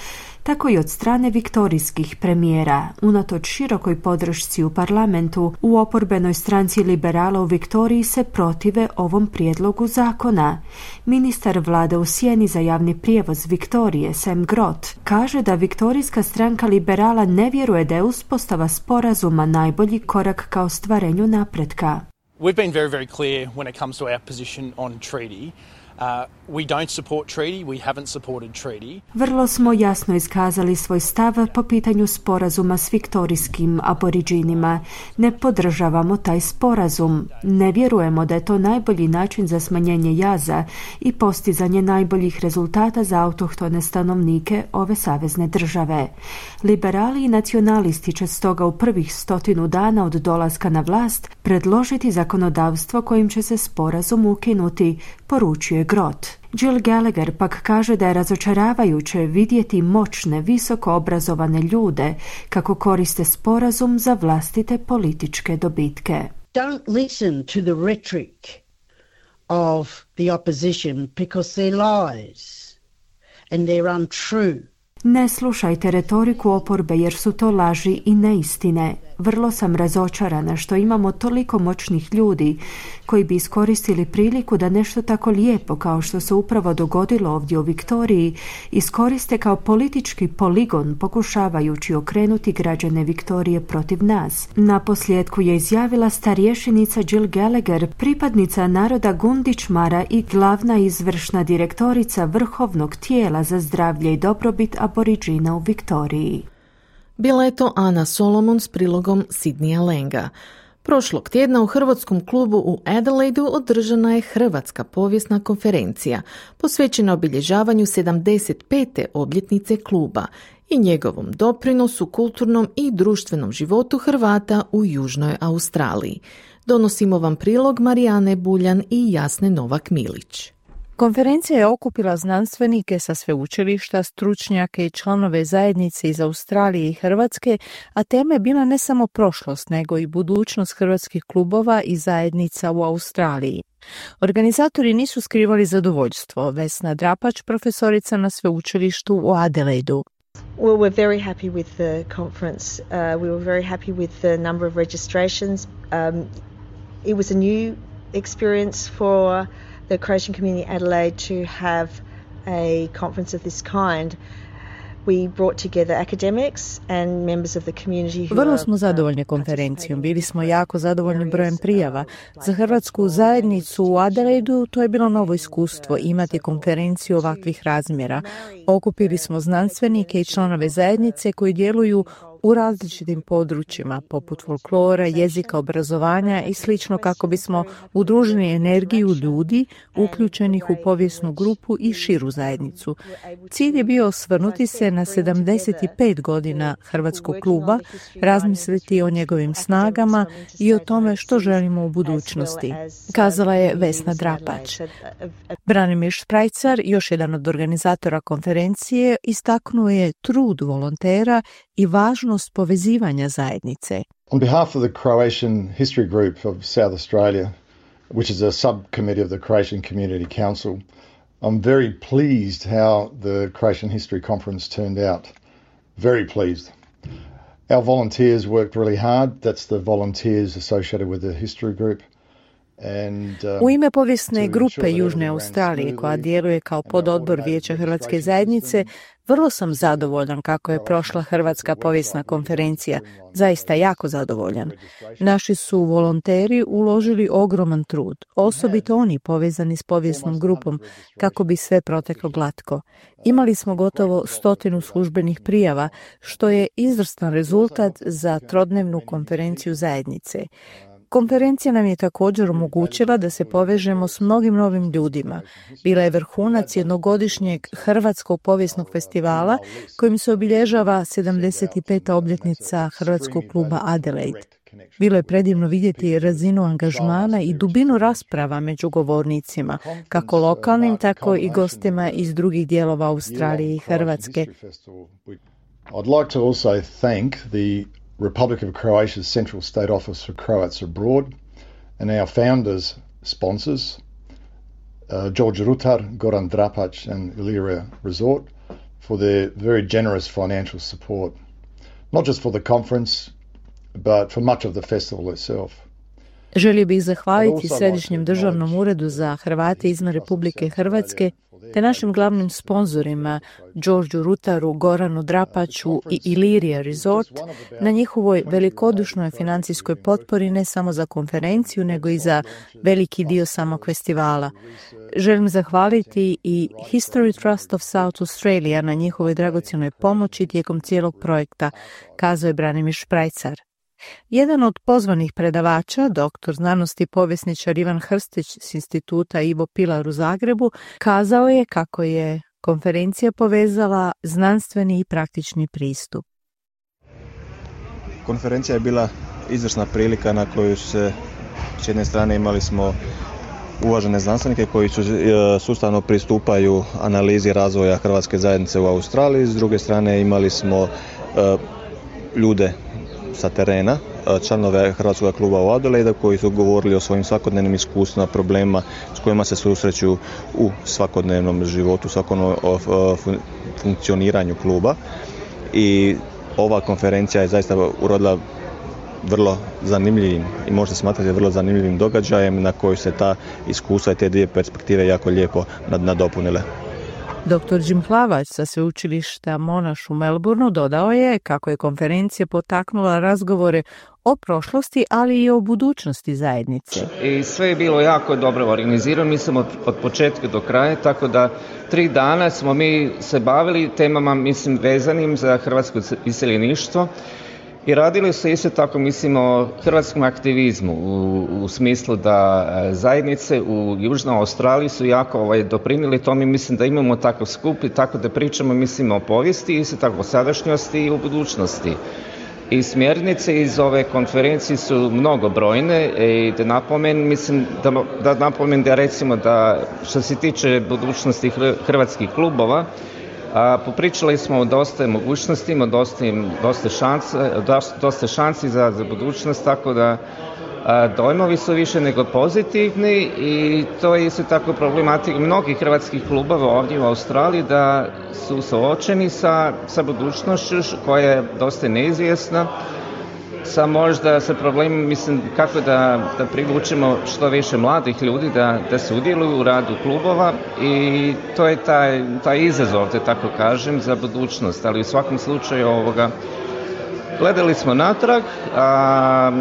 tako i od strane viktorijskih premijera. Unatoč širokoj podršci u parlamentu, u oporbenoj stranci liberala u Viktoriji se protive ovom prijedlogu zakona. Ministar vlade u sjeni za javni prijevoz Viktorije, Sam Grott, kaže da viktorijska stranka liberala ne vjeruje da je uspostava sporazuma najbolji korak ka ostvarenju napretka. We've been very, very clear when it comes to our position on treaty. Uh, we don't support treaty, we haven't supported treaty. Vrlo smo jasno iskazali svoj stav po pitanju sporazuma s viktorijskim aboriđinima. Ne podržavamo taj sporazum. Ne vjerujemo da je to najbolji način za smanjenje jaza i postizanje najboljih rezultata za autohtone stanovnike ove savezne države. Liberali i nacionalisti će stoga u prvih stotinu dana od dolaska na vlast predložiti zakonodavstvo kojim će se sporazum ukinuti, poručuje Grott. Jill Gallagher pak kaže da je razočaravajuće vidjeti moćne, visoko obrazovane ljude kako koriste sporazum za vlastite političke dobitke. Don't listen to the rhetoric of the opposition because they're lies and they're untrue. Ne slušajte retoriku oporbe jer su to laži i neistine. Vrlo sam razočarana što imamo toliko moćnih ljudi koji bi iskoristili priliku da nešto tako lijepo kao što se upravo dogodilo ovdje u Viktoriji iskoriste kao politički poligon pokušavajući okrenuti građane Viktorije protiv nas. Na posljedku je izjavila starješenica Jill Gallagher, pripadnica naroda Gundičmara i glavna izvršna direktorica Vrhovnog tijela za zdravlje i dobrobit aboriđina u Viktoriji. Bila je to Ana Solomon s prilogom Sidneya Lenga. Prošlog tjedna u Hrvatskom klubu u Adelaidu održana je Hrvatska povijesna konferencija posvećena obilježavanju sedamdeset pete obljetnice kluba i njegovom doprinosu kulturnom i društvenom životu Hrvata u Južnoj Australiji. Donosimo vam prilog Marijane Buljan i Jasne Novak-Milić. Konferencija je okupila znanstvenike sa sveučilišta, stručnjake i članove zajednice iz Australije i Hrvatske, a tema je bila ne samo prošlost, nego i budućnost hrvatskih klubova i zajednica u Australiji. Organizatori nisu skrivali zadovoljstvo. Vesna Drapač, profesorica na sveučilištu u Adelaidu. Well, we're very happy with the conference. Uh, we were very happy with the number of registrations. Um, it was a new experience for the Croatian community Adelaide to have a conference of this kind. We brought together academics and members of the community who Vrlo smo zadovoljni konferencijom. Bili smo jako zadovoljni brojem prijava. Za hrvatsku zajednicu u Adelaidu to je bilo novo iskustvo imati konferenciju ovakvih razmjera. Okupili smo znanstvenike i članove zajednice koji djeluju u različitim područjima, poput folklora, jezika, obrazovanja i slično, kako bismo udružili energiju ljudi uključenih u povijesnu grupu i širu zajednicu. Cilj je bio osvrnuti se na sedamdeset pet godina Hrvatskog kluba, razmisliti o njegovim snagama i o tome što želimo u budućnosti, kazala je Vesna Drapač. Branimir Šprajcar, još jedan od organizatora konferencije, istaknuo je trud volontera i važnost povezivanja zajednice. On behalf of the Croatian History Group of South Australia, which is a subcommittee of the Croatian Community Council, I'm very pleased how the Croatian History Conference turned out. Very pleased. Our volunteers worked really hard. That's the volunteers associated with the History Group. And, um, U ime povijesne grupe Južne Australije, koja djeluje kao pododbor Vijeća Hrvatske zajednice, vrlo sam zadovoljan kako je prošla Hrvatska povijesna konferencija. Zaista jako zadovoljan. Naši su volonteri uložili ogroman trud, osobito oni povezani s povijesnom grupom, kako bi sve proteklo glatko. Imali smo gotovo stotinu službenih prijava, što je izvrstan rezultat za trodnevnu konferenciju zajednice. Konferencija nam je također omogućila da se povežemo s mnogim novim ljudima. Bila je vrhunac jednogodišnjeg Hrvatskog povijesnog festivala kojim se obilježava sedamdeset peta obljetnica Hrvatskog kluba Adelaide. Bilo je predivno vidjeti razinu angažmana i dubinu rasprava među govornicima, kako lokalnim, tako i gostima iz drugih dijelova Australije i Hrvatske. I'd like to also thank the Republic of Croatia's Central State Office for Croats Abroad and our founders' sponsors, uh, George Rutar, Goran Drapac and Illyria Resort, for their very generous financial support, not just for the conference, but for much of the festival itself. Želio bih zahvaliti Središnjem državnom uredu za Hrvate izvan Republike Hrvatske te našim glavnim sponzorima Đorđu Rutaru, Goranu Drapaču i Illyria Resort na njihovoj velikodušnoj financijskoj potpori ne samo za konferenciju, nego i za veliki dio samog festivala. Želim zahvaliti i History Trust of South Australia na njihovoj dragocjenoj pomoći tijekom cijelog projekta, kazao je Branimir Šprajcar. Jedan od pozvanih predavača, doktor znanosti povjesničar Ivan Hrstić s instituta Ivo Pilar u Zagrebu, kazao je kako je konferencija povezala znanstveni i praktični pristup. Konferencija je bila izvrsna prilika na koju se s jedne strane imali smo uvažene znanstvenike koji su, sustavno pristupaju analizi razvoja hrvatske zajednice u Australiji, s druge strane imali smo uh, ljude sa terena, članove Hrvatskog kluba u Adelaide koji su govorili o svojim svakodnevnim iskustvima, problemima s kojima se susreću u svakodnevnom životu, svakodnevnom funkcioniranju kluba. I ova konferencija je zaista urodila vrlo zanimljivim i može se smatrati vrlo zanimljivim događajem na koji se ta iskustva i te dvije perspektive jako lijepo nadopunile. doktor Jim Hlavac sa sveučilišta Monash u Melbourneu dodao je kako je konferencija potaknula razgovore o prošlosti, ali i o budućnosti zajednice. I sve je bilo jako dobro organizirano, mi smo od početka do kraja, tako da tri dana smo mi se bavili temama, mislim, vezanim za hrvatsko iseljeništvo. I radili su isto tako, mislim, o hrvatskom aktivizmu u, u smislu da zajednice u Južnoj Australiji su jako ovaj, doprinijeli tome. Mislim da imamo takav skup i tako da pričamo, mislim, o povijesti, isto tako o sadašnjosti i o budućnosti. I smjernice iz ove konferencije su mnogobrojne i da napomen, mislim, da, da napomen da recimo da što se tiče budućnosti hrvatskih klubova, a, popričali smo o dosta mogućnostima, dosta, dosta, šanse, dosta šansi za, za budućnost, tako da a, dojmovi su više nego pozitivni i to je isto tako problematika mnogih hrvatskih klubova ovdje u Australiji da su suočeni sa, sa budućnošću koja je dosta neizvjesna, sa možda sa problemom, mislim, kako da, da privučemo što više mladih ljudi da, da sudjeluju u radu klubova i to je taj, taj izazov, da tako kažem, za budućnost, ali u svakom slučaju ovoga gledali smo natrag, a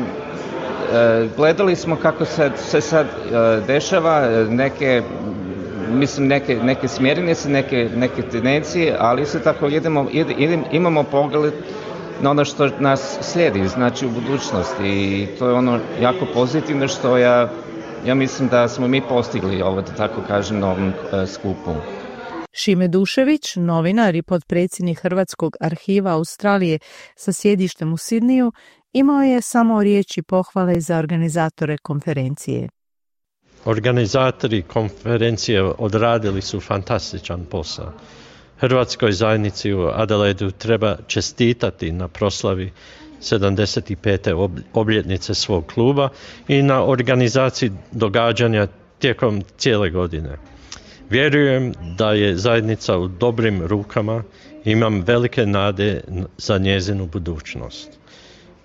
gledali smo kako se, se sad dešava neke, mislim, neke, neke smjernice, neke, neke tendencije, ali se tako idemo, idemo, imamo pogled na ono što nas slijedi, znači u budućnosti i to je ono jako pozitivno što ja, ja mislim da smo mi postigli ovo, da tako kažem, na ovom skupu. Šime Dušević, novinar i potpredsjednik Hrvatskog arhiva Australije sa sjedištem u Sidniju, imao je samo riječi pohvale za organizatore konferencije. Organizatori konferencije odradili su fantastičan posao. Hrvatskoj zajednici u Adelaidu treba čestitati na proslavi sedamdeset pete obljetnice svog kluba i na organizaciji događanja tijekom cijele godine. Vjerujem da je zajednica u dobrim rukama i imam velike nade za njezinu budućnost.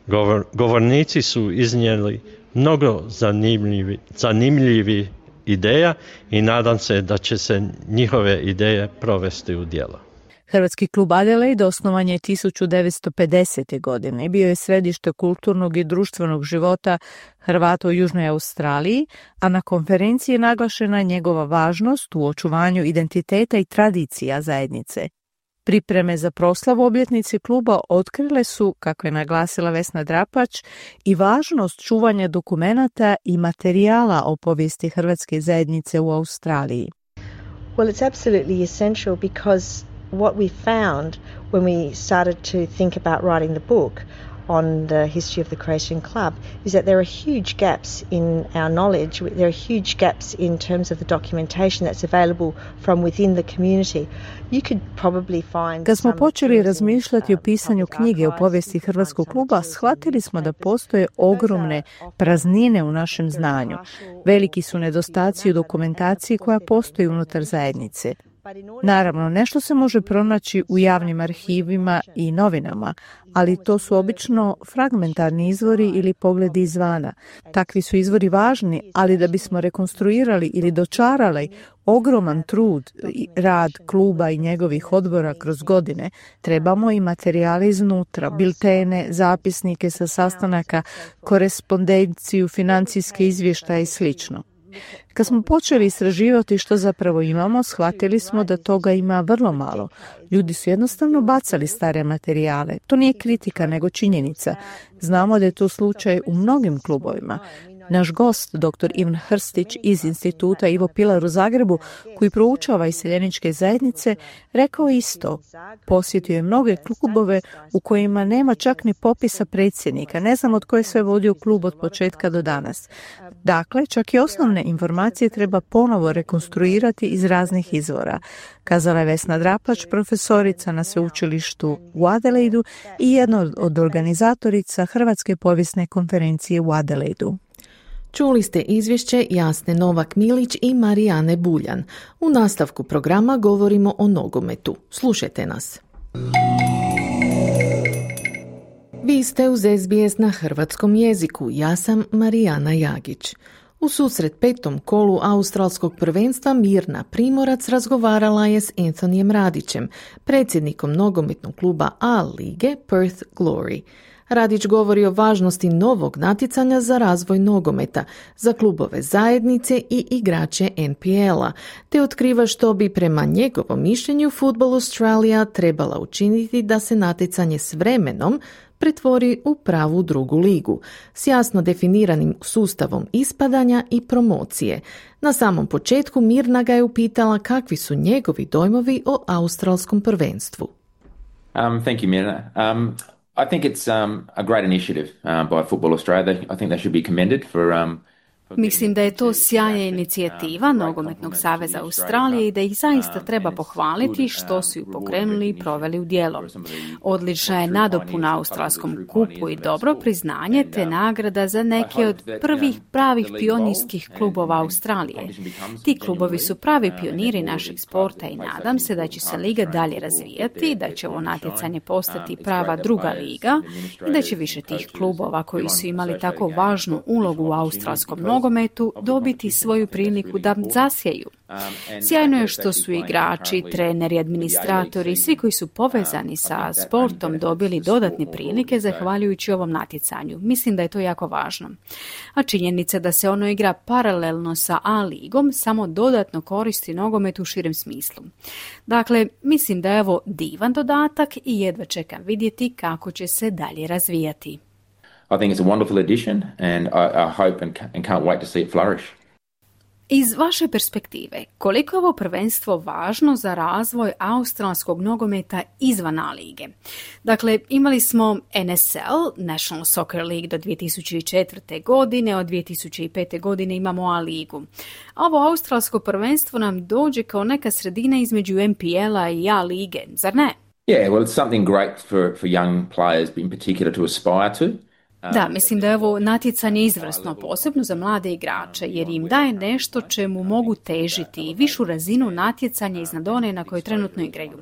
Govor, govornici su iznijeli mnogo zanimljivi, zanimljivi ideja i nadam se da će se njihove ideje provesti u djelo. Hrvatski klub Adelaide osnovan je tisuću devetsto pedesete. godine i bio je središte kulturnog i društvenog života Hrvata u Južnoj Australiji, a na konferenciji je naglašena njegova važnost u očuvanju identiteta i tradicija zajednice. Pripreme za proslavu obljetnici kluba otkrile su, kako je naglasila Vesna Drapač, i važnost čuvanja dokumenata i materijala o povijesti hrvatske zajednice u Australiji. Well, it's absolutely essential because what we found when we started to think about writing the book on the history of the Croatian Club is that there are huge gaps in our knowledge. There are huge gaps in terms of the documentation that's available from within the community. You could probably find. Kad smo počeli razmišljati o pisanju knjige o povijesti Hrvatskog kluba, shvatili smo da postoje ogromne praznine u našem znanju. Veliki su nedostaci u dokumentaciji koja postoji unutar zajednice. Naravno, nešto se može pronaći u javnim arhivima i novinama, ali to su obično fragmentarni izvori ili pogledi izvana. Takvi su izvori važni, ali da bismo rekonstruirali ili dočarali ogroman trud i rad kluba i njegovih odbora kroz godine, trebamo i materijale iznutra, biltene, zapisnike sa sastanaka, korespondenciju, financijske izvještaje i slično. Kad smo počeli istraživati što zapravo imamo, shvatili smo da toga ima vrlo malo. Ljudi su jednostavno bacali stare materijale. To nije kritika, nego činjenica. Znamo da je to slučaj u mnogim klubovima. Naš gost, doktor Ivan Hrstić iz Instituta Ivo Pilar u Zagrebu, koji proučava iseljeničke zajednice, rekao isto. Posjetio je mnoge klubove u kojima nema čak ni popisa predsjednika. Ne znam od koje sve vodio klub od početka do danas. Dakle, čak i osnovne informacije treba ponovo rekonstruirati iz raznih izvora, kazala je Vesna Drapač, profesorica na sveučilištu u Adelaidu i jedna od organizatorica Hrvatske povijesne konferencije u Adelaidu. Čuli ste izvješće Jasne Novak-Milić i Marijane Buljan. U nastavku programa govorimo o nogometu. Slušajte nas. Vi ste uz S B S na hrvatskom jeziku. Ja sam Marijana Jagić. U susret petom kolu australskog prvenstva Mirna Primorac razgovarala je s Anthonyjem Radićem, predsjednikom nogometnog kluba A lige Perth Glory. Radić govori o važnosti novog natjecanja za razvoj nogometa, za klubove zajednice i igrače N P L-a, te otkriva što bi prema njegovom mišljenju Football Australia trebala učiniti da se natjecanje s vremenom pretvori u pravu drugu ligu, s jasno definiranim sustavom ispadanja i promocije. Na samom početku Mirna ga je upitala kakvi su njegovi dojmovi o australskom prvenstvu. Um, thank you, Mirna. Um... I think it's um, a great initiative uh, by Football Australia. I think they should be commended for um, Mislim da je to sjajna inicijativa Nogometnog saveza Australije i da ih zaista treba pohvaliti što su ju pokrenuli i proveli u djelo. Odlična je nadopuna australskom kupu i dobro priznanje te nagrada za neke od prvih pravih pionirskih klubova Australije. Ti klubovi su pravi pioniri našeg sporta i nadam se da će se liga dalje razvijati, da će ovo natjecanje postati prava druga liga i da će više tih klubova koji su imali tako važnu ulogu u australskom nogometu dobiti svoju priliku da zasjeju. Sjajno je što su igrači, treneri, administratori i svi koji su povezani sa sportom dobili dodatne prilike zahvaljujući ovom natjecanju. Mislim da je to jako važno. A činjenica da se ono igra paralelno sa A ligom samo dodatno koristi nogomet u širem smislu. Dakle, mislim da je ovo divan dodatak i jedva čekam vidjeti kako će se dalje razvijati. I think it's a wonderful addition and I, I hope and, and can't wait to see it flourish. Iz vaše perspektive, koliko je ovo prvenstvo važno za razvoj australskog nogometa izvan A lige? Dakle, imali smo N S L, National Soccer League do dvije tisuće četvrte. godine, od dvije tisuće pete. godine imamo A ligu. A ovo australsko prvenstvo nam dođe kao neka sredina između N P L-a i A lige, zar ne? Yeah, well, it's something great for, for young players in particular to aspire to. Da, mislim da je ovo natjecanje izvrsno, posebno za mlade igrače, jer im daje nešto čemu mogu težiti i višu razinu natjecanja iznad one na kojoj trenutno igraju.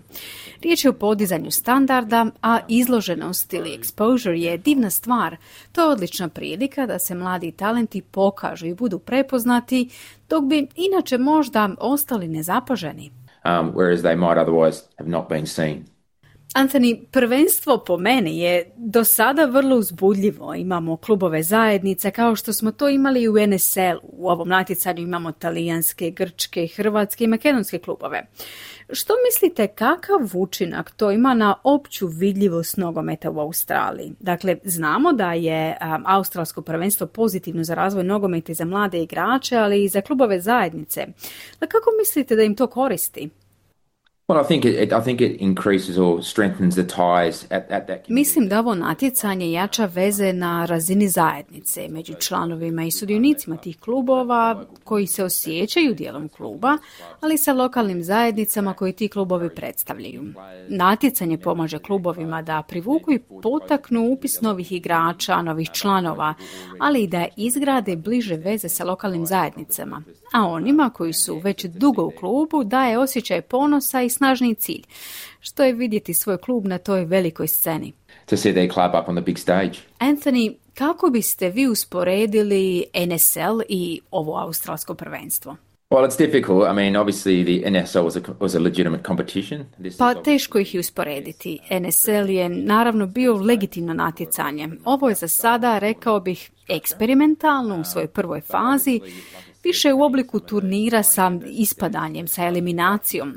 Riječ je o podizanju standarda, a izloženost ili exposure je divna stvar. To je odlična prilika da se mladi talenti pokažu i budu prepoznati, dok bi inače možda ostali nezapaženi. Um, whereas they might otherwise have not been seen. Anthony, prvenstvo po meni je do sada vrlo uzbudljivo. Imamo klubove zajednice kao što smo to imali u N S L-u. U ovom natjecanju imamo talijanske, grčke, hrvatske i makedonske klubove. Što mislite, kakav učinak to ima na opću vidljivost nogometa u Australiji? Dakle, znamo da je um, australsko prvenstvo pozitivno za razvoj nogometa i za mlade igrače, ali i za klubove zajednice. Da kako mislite da im to koristi? Well, I think it, I think it increases or strengthens the ties at, at that. Mislim da ovo natjecanje jača veze na razini zajednice među članovima i sudionicima tih klubova koji se osjećaju dijelom kluba, ali sa lokalnim zajednicama koji ti klubovi predstavljaju. Natjecanje pomaže klubovima da privuku i potaknu upis novih igrača, novih članova, ali i da izgrade bliže veze sa lokalnim zajednicama. A onima koji su već dugo u klubu daje osjećaj ponosa i snažni cilj, što je vidjeti svoj klub na toj velikoj sceni. To see their club up on the big stage. Anthony, kako biste vi usporedili N S L i ovo australsko prvenstvo? Well, it's difficult. I mean, obviously the N S L was a, was a legitimate competition. This pa teško ih je usporediti. N S L je naravno bio legitimno natjecanje. Ovo je za sada, rekao bih, eksperimentalno u svojoj prvoj fazi, više u obliku turnira sa ispadanjem, sa eliminacijom.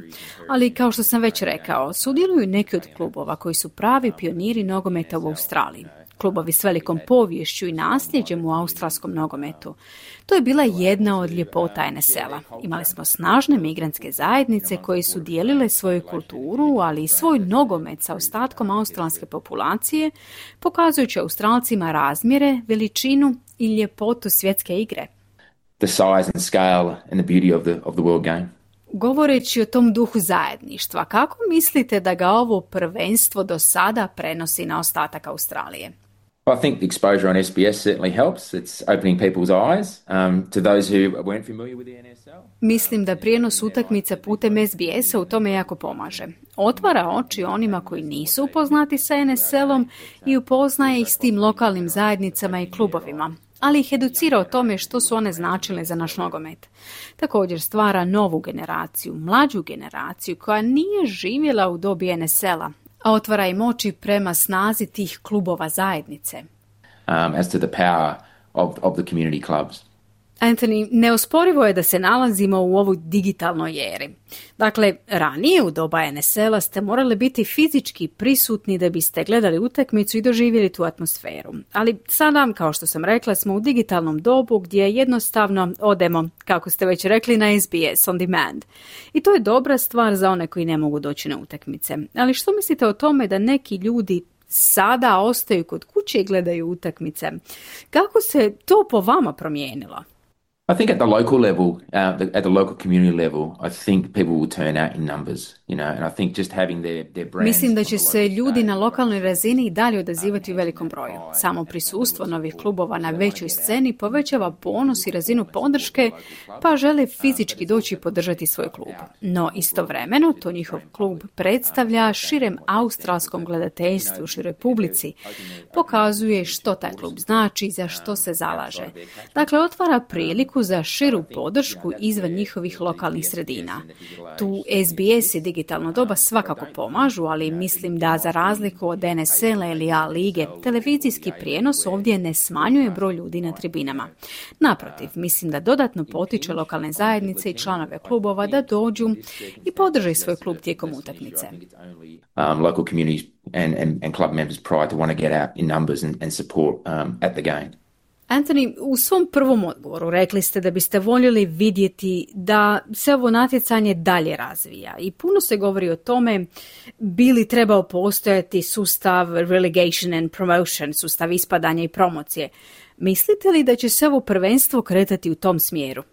Ali kao što sam već rekao, sudjeluju neki od klubova koji su pravi pioniri nogometa u Australiji. Klubovi s velikom poviješću i nasljeđem u australskom nogometu. To je bila jedna od ljepota N S L-a. Imali smo snažne migrantske zajednice koje su dijelile svoju kulturu, ali i svoj nogomet sa ostatkom australske populacije, pokazujući Australcima razmjere, veličinu i ljepotu svjetske igre. The size and scale and the beauty of the of the world game. Govoreći o tom duhu zajedništva, kako mislite da ga ovo prvenstvo do sada prenosi na ostatak Australije? I think the exposure on S B S certainly helps. It's opening people's eyes um, to those who weren't familiar with the N S L. Mislim da prijenos utakmica putem S B S-a u tome jako pomaže. Otvara oči onima koji nisu upoznati sa N S L-om i upoznaje ih s tim lokalnim zajednicama i klubovima, ali ih educira o tome što su one značile za naš nogomet. Također stvara novu generaciju, mlađu generaciju koja nije živjela u dobi N S L-a, a otvara im oči prema snazi tih klubova zajednice. Um, as to the power of, of the community clubs. Anthony, neosporivo je da se nalazimo u ovoj digitalnoj eri. Dakle, ranije u doba N S L-a ste morali biti fizički prisutni da biste gledali utakmicu i doživjeli tu atmosferu. Ali sada, kao što sam rekla, smo u digitalnom dobu gdje jednostavno odemo, kako ste već rekli, na S B S on demand. I to je dobra stvar za one koji ne mogu doći na utakmice. Ali što mislite o tome da neki ljudi sada ostaju kod kuće i gledaju utakmice. Kako se to po vama promijenilo? I think at the local level, uh, the, at the local community level, I think people will turn out in numbers, you know, and I think just having their, their brands... Mislim da će se ljudi na lokalnoj razini i dalje odazivati u velikom broju. Samo prisustvo novih klubova na većoj sceni povećava ponos i razinu podrške, pa žele fizički doći i podržati svoj klub. No istovremeno to njihov klub predstavlja širem australskom gledateljstvu u široj publici. Pokazuje što taj klub znači i za što se zalaže. Dakle, otvara priliku za širu podršku izvan njihovih lokalnih sredina. Tu S B S i digitalno doba svakako pomažu, ali mislim da za razliku od N S L-a ili A lige, televizijski prijenos ovdje ne smanjuje broj ljudi na tribinama. Naprotiv, mislim da dodatno potiče lokalne zajednice i članove klubova da dođu i podrže svoj klub tijekom utakmice. Um, local communities and, and, and club members pride to want to get out in numbers and, and support um, at the game. Anthony, u svom prvom odgovoru rekli ste da biste voljeli vidjeti da se ovo natjecanje dalje razvija i puno se govori o tome bi li trebao postojati sustav relegation and promotion, sustav ispadanja i promocije. Mislite li da će se ovo prvenstvo kretati u tom smjeru?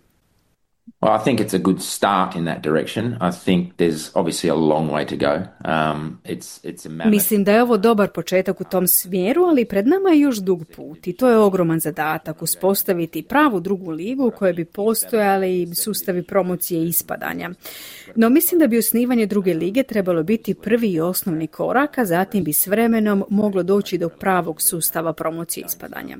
Well, I think it's a good start in that direction. I think there's obviously a long way to go. Um, it's, it's a mammoth... Mislim da je ovo dobar početak u tom smjeru, ali pred nama je još dug put i to je ogroman zadatak uspostaviti pravu drugu ligu u kojoj bi postojali sustavi promocije i ispadanja. No mislim da bi osnivanje druge lige trebalo biti prvi i osnovni korak, a zatim bi s vremenom moglo doći do pravog sustava promocije i ispadanja.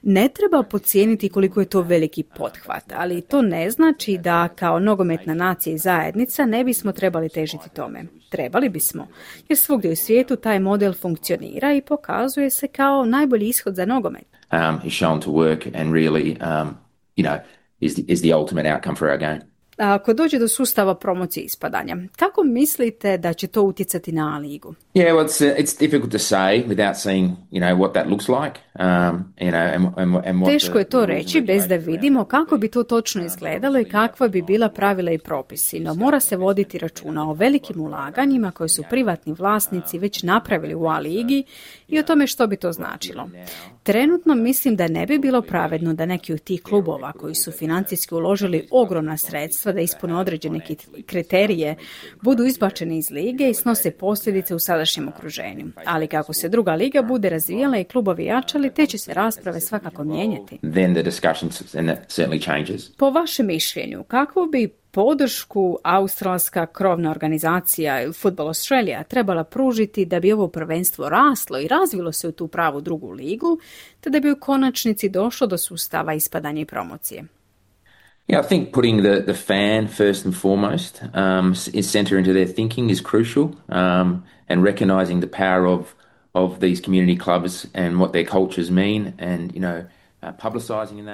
Ne treba podcijeniti koliko je to veliki pothvat, ali to ne znači da kao nogometna nacija i zajednica ne bismo trebali težiti tome. Trebali bismo, jer svugdje u svijetu taj model funkcionira i pokazuje se kao najbolji ishod za nogomet. Um, is shown to work and really, um, you know, is the, is the ultimate outcome for our game. A ako dođe do sustava promocije ispadanja, kako mislite da će to utjecati na ligu? Yeah, well, it's, uh, it's difficult to say without seeing, you know, what that looks like. Um, you know, and, and, and what Teško je to the, reći bez da vidimo kako bi to točno izgledalo i kakva bi bila pravila i propisi, no mora se voditi računa o velikim ulaganjima koje su privatni vlasnici već napravili u A ligi i o tome što bi to značilo. Trenutno mislim da ne bi bilo pravedno da neki od tih klubova koji su financijski uložili ogromna sredstva da ispune određene kriterije budu izbačeni iz lige i snose posljedice u sadašnjem okruženju. Ali kako se druga liga bude razvijala i klubovi jačali, te će se rasprave svakako mijenjati. Then the discussions certainly changes. Po vašem mišljenju, kako bi podršku australska krovna organizacija Football Australia trebala pružiti da bi ovo prvenstvo raslo i razvilo se u tu pravu drugu ligu, te da bi u konačnici došlo do sustava ispadanja i promocije? Yeah, I think putting the, the fan first and foremost um, is center into their thinking is crucial, um, and recognizing the power of of these community clubs and what their cultures mean, and you know.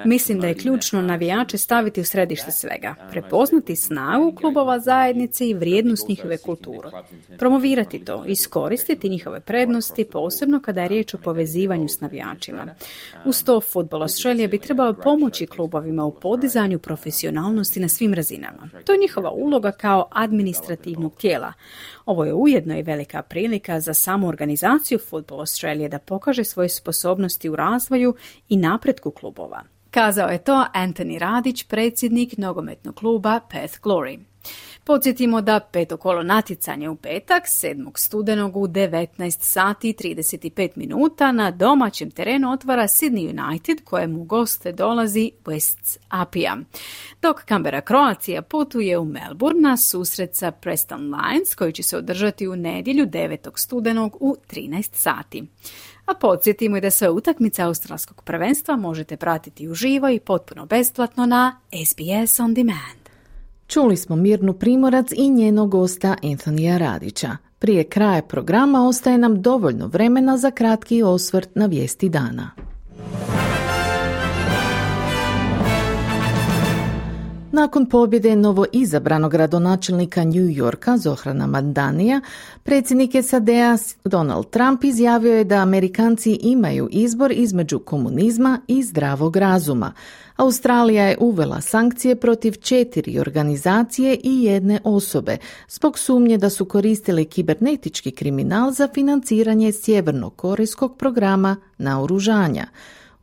Mislim da je ključno navijače staviti u središte svega, prepoznati snagu klubova zajednice i vrijednost njihove kulture, promovirati to, iskoristiti njihove prednosti, posebno kada je riječ o povezivanju s navijačima. Uz to Football Australia bi trebao pomoći klubovima u podizanju profesionalnosti na svim razinama. To je njihova uloga kao administrativnog tijela. Ovo je ujedno i velika prilika za samu organizaciju Football Australia da pokaže svoje sposobnosti u razvoju i napretku klubova. Kazao je to Anthony Radić, predsjednik nogometnog kluba Perth Glory. Podsjetimo da peto kolo natjecanja u petak, sedmog studenog u devetnaest sati i trideset pet minuta na domaćem terenu otvara Sydney United, kojemu u goste dolazi Wests Apia. Dok Canberra Croatia putuje u Melbourne na susret sa Preston Lions, koji će se održati u nedjelju devetog studenog u trinaest sati. A podsjetimo i da sve utakmice australskog prvenstva možete pratiti uživo i potpuno besplatno na S B S On Demand. Čuli smo Mirnu Primorac i njenog gosta Anthonyja Radića. Prije kraja programa ostaje nam dovoljno vremena za kratki osvrt na vijesti dana. Nakon pobjede novo izabranog gradonačelnika New Yorka Zohrana Mamdanija, predsjednik S A D-a Donald Trump izjavio je da Amerikanci imaju izbor između komunizma i zdravog razuma. Australija je uvela sankcije protiv četiri organizacije i jedne osobe zbog sumnje da su koristili kibernetički kriminal za financiranje sjevernokorejskog programa naoružanja.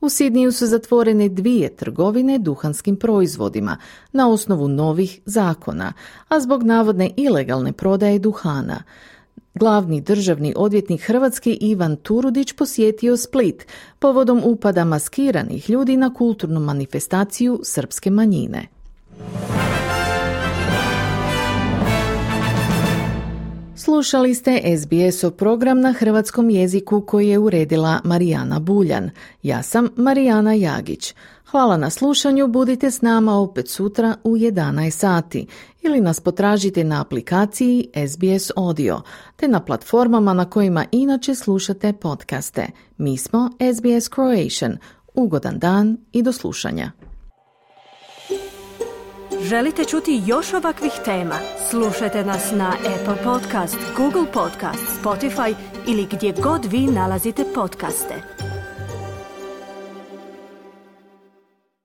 U Sidniju su zatvorene dvije trgovine duhanskim proizvodima na osnovu novih zakona, a zbog navodne ilegalne prodaje duhana. Glavni državni odvjetnik Hrvatske Ivan Turudić posjetio Split povodom upada maskiranih ljudi na kulturnu manifestaciju srpske manjine. Slušali ste S B S-ov program na hrvatskom jeziku koji je uredila Marijana Buljan. Ja sam Marijana Jagić. Hvala na slušanju, budite s nama opet sutra u jedanaest sati ili nas potražite na aplikaciji S B S Audio te na platformama na kojima inače slušate podcaste. Mi smo S B S Croatian. Ugodan dan i do slušanja. Želite čuti još ovakvih tema? Slušajte nas na Apple Podcast, Google Podcast, Spotify ili gdje god vi nalazite podcaste.